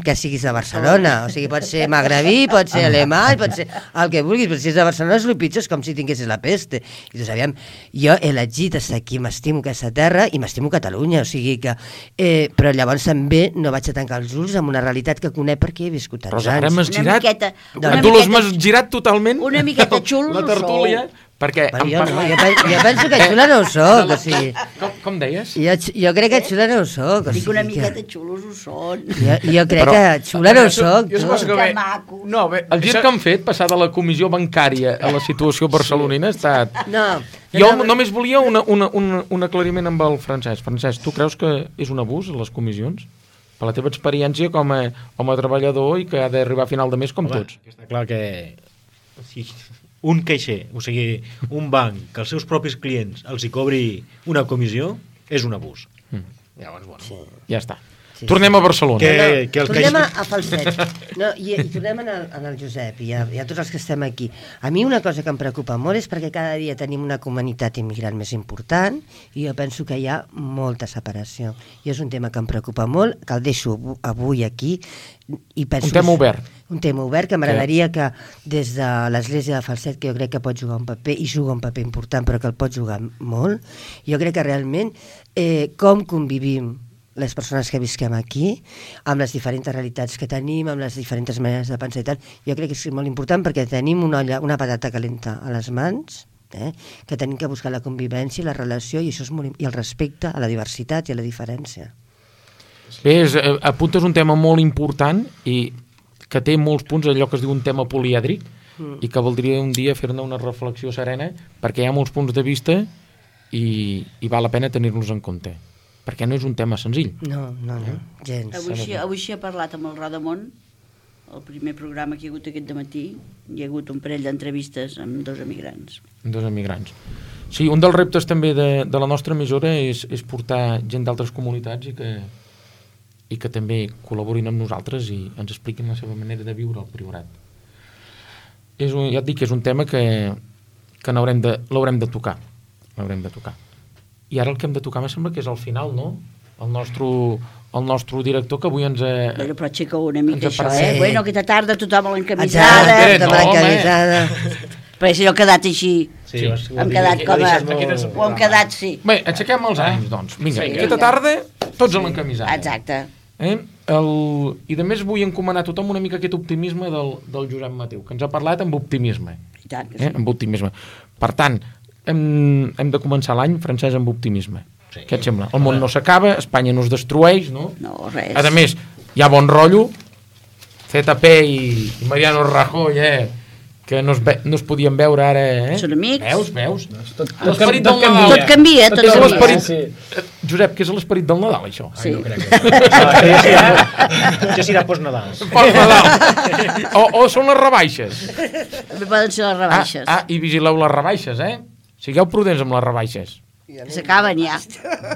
que siguis de Barcelona, o sigui, pot ser magrebí, pot ser alemany, pot ser el que vulguis, però si és de Barcelona és el pitjor, és com si tinguessis la peste. I tu sabíem, jo he elegit estar aquí, m'estimo aquesta terra i m'estimo Catalunya, o sigui que eh, però llavors també no vaig a tancar els ulls amb una realitat que conec perquè he viscut tants Rosa, ara anys. m'has girat, miqueta, a tu m'has girat totalment una miqueta xulos la tertúlia, perquè però jo, no, jo, penso, jo penso que xula no ho soc, o sigui... Com, com deies? Jo, jo crec que xula no ho soc. O Dic sigui una que... miqueta xulos ho són. Jo, jo crec Però, que xula no ho soc. Jo suposo que Que bé... maco. No, bé, El gir això... que han fet, passar de la comissió bancària a la situació barcelonina, ha estat... No. Jo no, només volia una, una, una, un aclariment amb el Francesc. Francesc, tu creus que és un abús, les comissions? Per la teva experiència com a, com a treballador i que ha d'arribar a final de mes com Home, tots. està clar que si un caixer, o sigui, un banc que els seus propis clients els hi cobri una comissió, és un abús. Mm. Llavors, bueno... Sí. Ja està. Sí, tornem sí. a Barcelona. Que, No, que el tornem caixer... a, a Falset. No, i, I tornem en el, en el Josep i a, i a tots els que estem aquí. A mi una cosa que em preocupa molt és perquè cada dia tenim una comunitat immigrant més important i jo penso que hi ha molta separació. I és un tema que em preocupa molt, que el deixo avui aquí. I penso Un tema obert. Un tema obert que m'agradaria que des de l'Església de Falset, que jo crec que pot jugar un paper, i juga un paper important, però que el pot jugar molt, jo crec que realment eh, com convivim les persones que visquem aquí, amb les diferents realitats que tenim, amb les diferents maneres de pensar i tal, jo crec que és molt important perquè tenim una, olla, una patata calenta a les mans, eh? que tenim que buscar la convivència, la relació i, això és molt, i el respecte a la diversitat i a la diferència. Bé, és, eh, apuntes un tema molt important i que té molts punts, allò que es diu un tema polièdric, mm. i que voldria un dia fer-ne una reflexió serena, perquè hi ha molts punts de vista i, i val la pena tenir-los en compte, perquè no és un tema senzill. No, no, no, gens. Avui sí, avui sí he parlat amb el Rodamont, el primer programa que hi ha hagut aquest dematí, hi ha hagut un parell d'entrevistes amb dos emigrants. Dos emigrants. Sí, un dels reptes també de, de la nostra emissora és, és portar gent d'altres comunitats i que, i que també col·laborin amb nosaltres i ens expliquin la seva manera de viure al Priorat. És un, ja et dic que és un tema que, que n'haurem de, l'haurem de tocar. L'haurem de tocar. I ara el que hem de tocar me sembla que és al final, no? El nostre, el nostre director que avui ens ha... Bueno, però aixeca una mica ens això, apareix. eh? Bueno, aquesta tarda tothom a l'encamisada. Eh, Exacte, no, l'encamisada. Però si no ha quedat així. Sí, Sí. ho has- ho Hem has quedat dit, com ho a... has deixat molt- Ho hem quedat, sí. Bé, aixequem els ànims, doncs. Vinga, Sí, aquesta vinga. tarda, tots a l'encamisada. Exacte. Eh? El... I de més vull encomanar a tothom una mica aquest optimisme del, del Josep Mateu, que ens ha parlat amb optimisme. I tant que Eh? sí. Amb optimisme. Per tant, hem, hem de començar l'any francès amb optimisme. Sí. Què et sembla? El món no s'acaba, Espanya no es destrueix, no? No, res. A més, hi ha bon rotllo, Z P i, i Mariano Rajoy, eh? que no es, ve, no es podien veure ara, eh? Són amics. Veus, veus? Tot, L'esperit tot del canvia. Nadal. Tot canvia, tot És canvia. l'esperit... Sí. Josep, què és l'esperit del Nadal, això? Sí. No crec que... Ah, això ja serà, això serà post-Nadal. Post Nadal. O, o són les rebaixes. També poden ser les Ah, rebaixes. ah, i vigileu les rebaixes, eh? Sigueu prudents amb les rebaixes. S'acaben ja.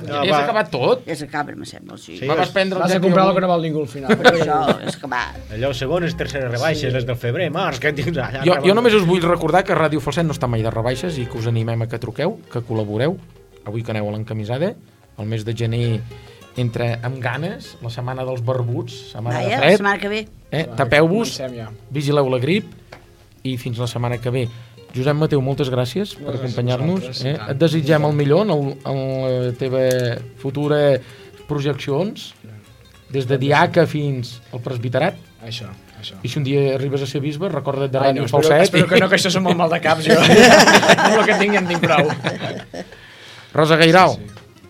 No, Ja s'ha acabat tot? Ja s'acaben, me sembla, sí. Sí. Me vas prendre el Vas a jet i comprar el avui- que no val ningú al final. Per això és acabat. Allò segones, terceres rebaixes, les del febrer, març, que dius allà... Jo, jo només us vull recordar que Ràdio Falset no està mai de rebaixes i que us animem a que truqueu, que col·laboreu. Avui que aneu a l'encamisada, el mes de gener entra amb ganes, la setmana dels barbuts, setmana Vaja, de la fred. setmana que ve. Eh? Tapeu-vos, Comencem ja. vigileu la grip i fins la setmana que ve. Josep Mateu, moltes gràcies per gràcies a acompanyar-nos. vosaltres, Eh? i tant. Et desitgem el millor en, el, en la teva futura projeccions, des de diaca fins al presbiterat. Això, això. I si un dia arribes a ser bisbe, recorda't de Ai, Ràdio no, espero, Falset. espero que no, que això són molt mal de caps, jo. Amb el que tinc ja en tinc prou. Rosa Gairal,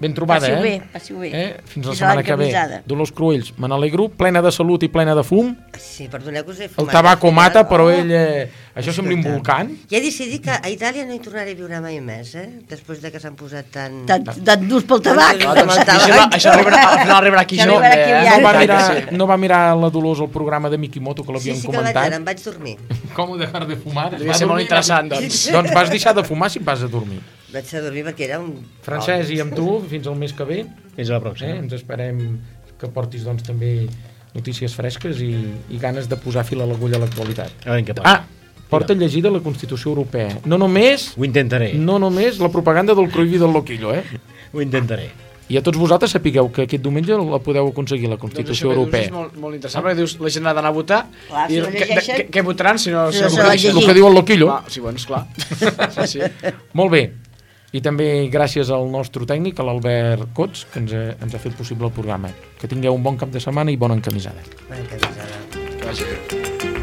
ben trobada, Passiu eh? bé, passiu bé. eh? Fins la Fins a setmana que ve. l'encamisada. Dolors Cruells, me n'alegro, plena de salut i plena de fum. Sí, perdoneu que us he El fumat. tabaco al final. mata, però Oh. ell... Eh, això sembla un volcán. Ja he decidit que a Itàlia no hi tornaré a viure mai més, eh? Després de que s'han posat tan... Tan, tan durs pel tabac. Tan durs. Això, això, això arribarà, al final arribarà aquí Això jo. arribarà aquí eh? ja. No va, Sí. mirar, no va mirar la Dolors el programa de Mikimoto, que Sí, l'havien sí que el vaig comentat. veure, em vaig dormir. Com dejar de fumar? Devia Va ser molt dormir, interessant, va- doncs. Doncs vas deixar de fumar si et vas a dormir. Vaig a dormir perquè era un... Francesc, i amb tu, fins al mes que ve, Fins a la eh? pròxima. ens esperem que portis doncs, també notícies fresques i, i ganes de posar fil a l'agulla a l'actualitat. A veure què passa. Ah, porta llegida la Constitució Europea. No només, Ho intentaré, no només la propaganda del Cruïllo i del Loquillo, eh? ho intentaré. I a tots vosaltres sapigueu que aquest diumenge la podeu aconseguir, la Doncs Constitució això que dius Europea. és molt, molt interessant, perquè dius, la gent ha d'anar a votar, Clar, si i no què, llegeixen- què, què votaran si no... Si Si no no se la llegeixen? El que diu el Loquillo. Ah, sí, bueno, esclar. Sí, sí. Molt bé. I també gràcies al nostre tècnic, a l'Albert Cots, que ens ha, ens ha fet possible el programa. Que tingueu un bon cap de setmana i bona encamisada. Bona encamisada. Que vagi bé.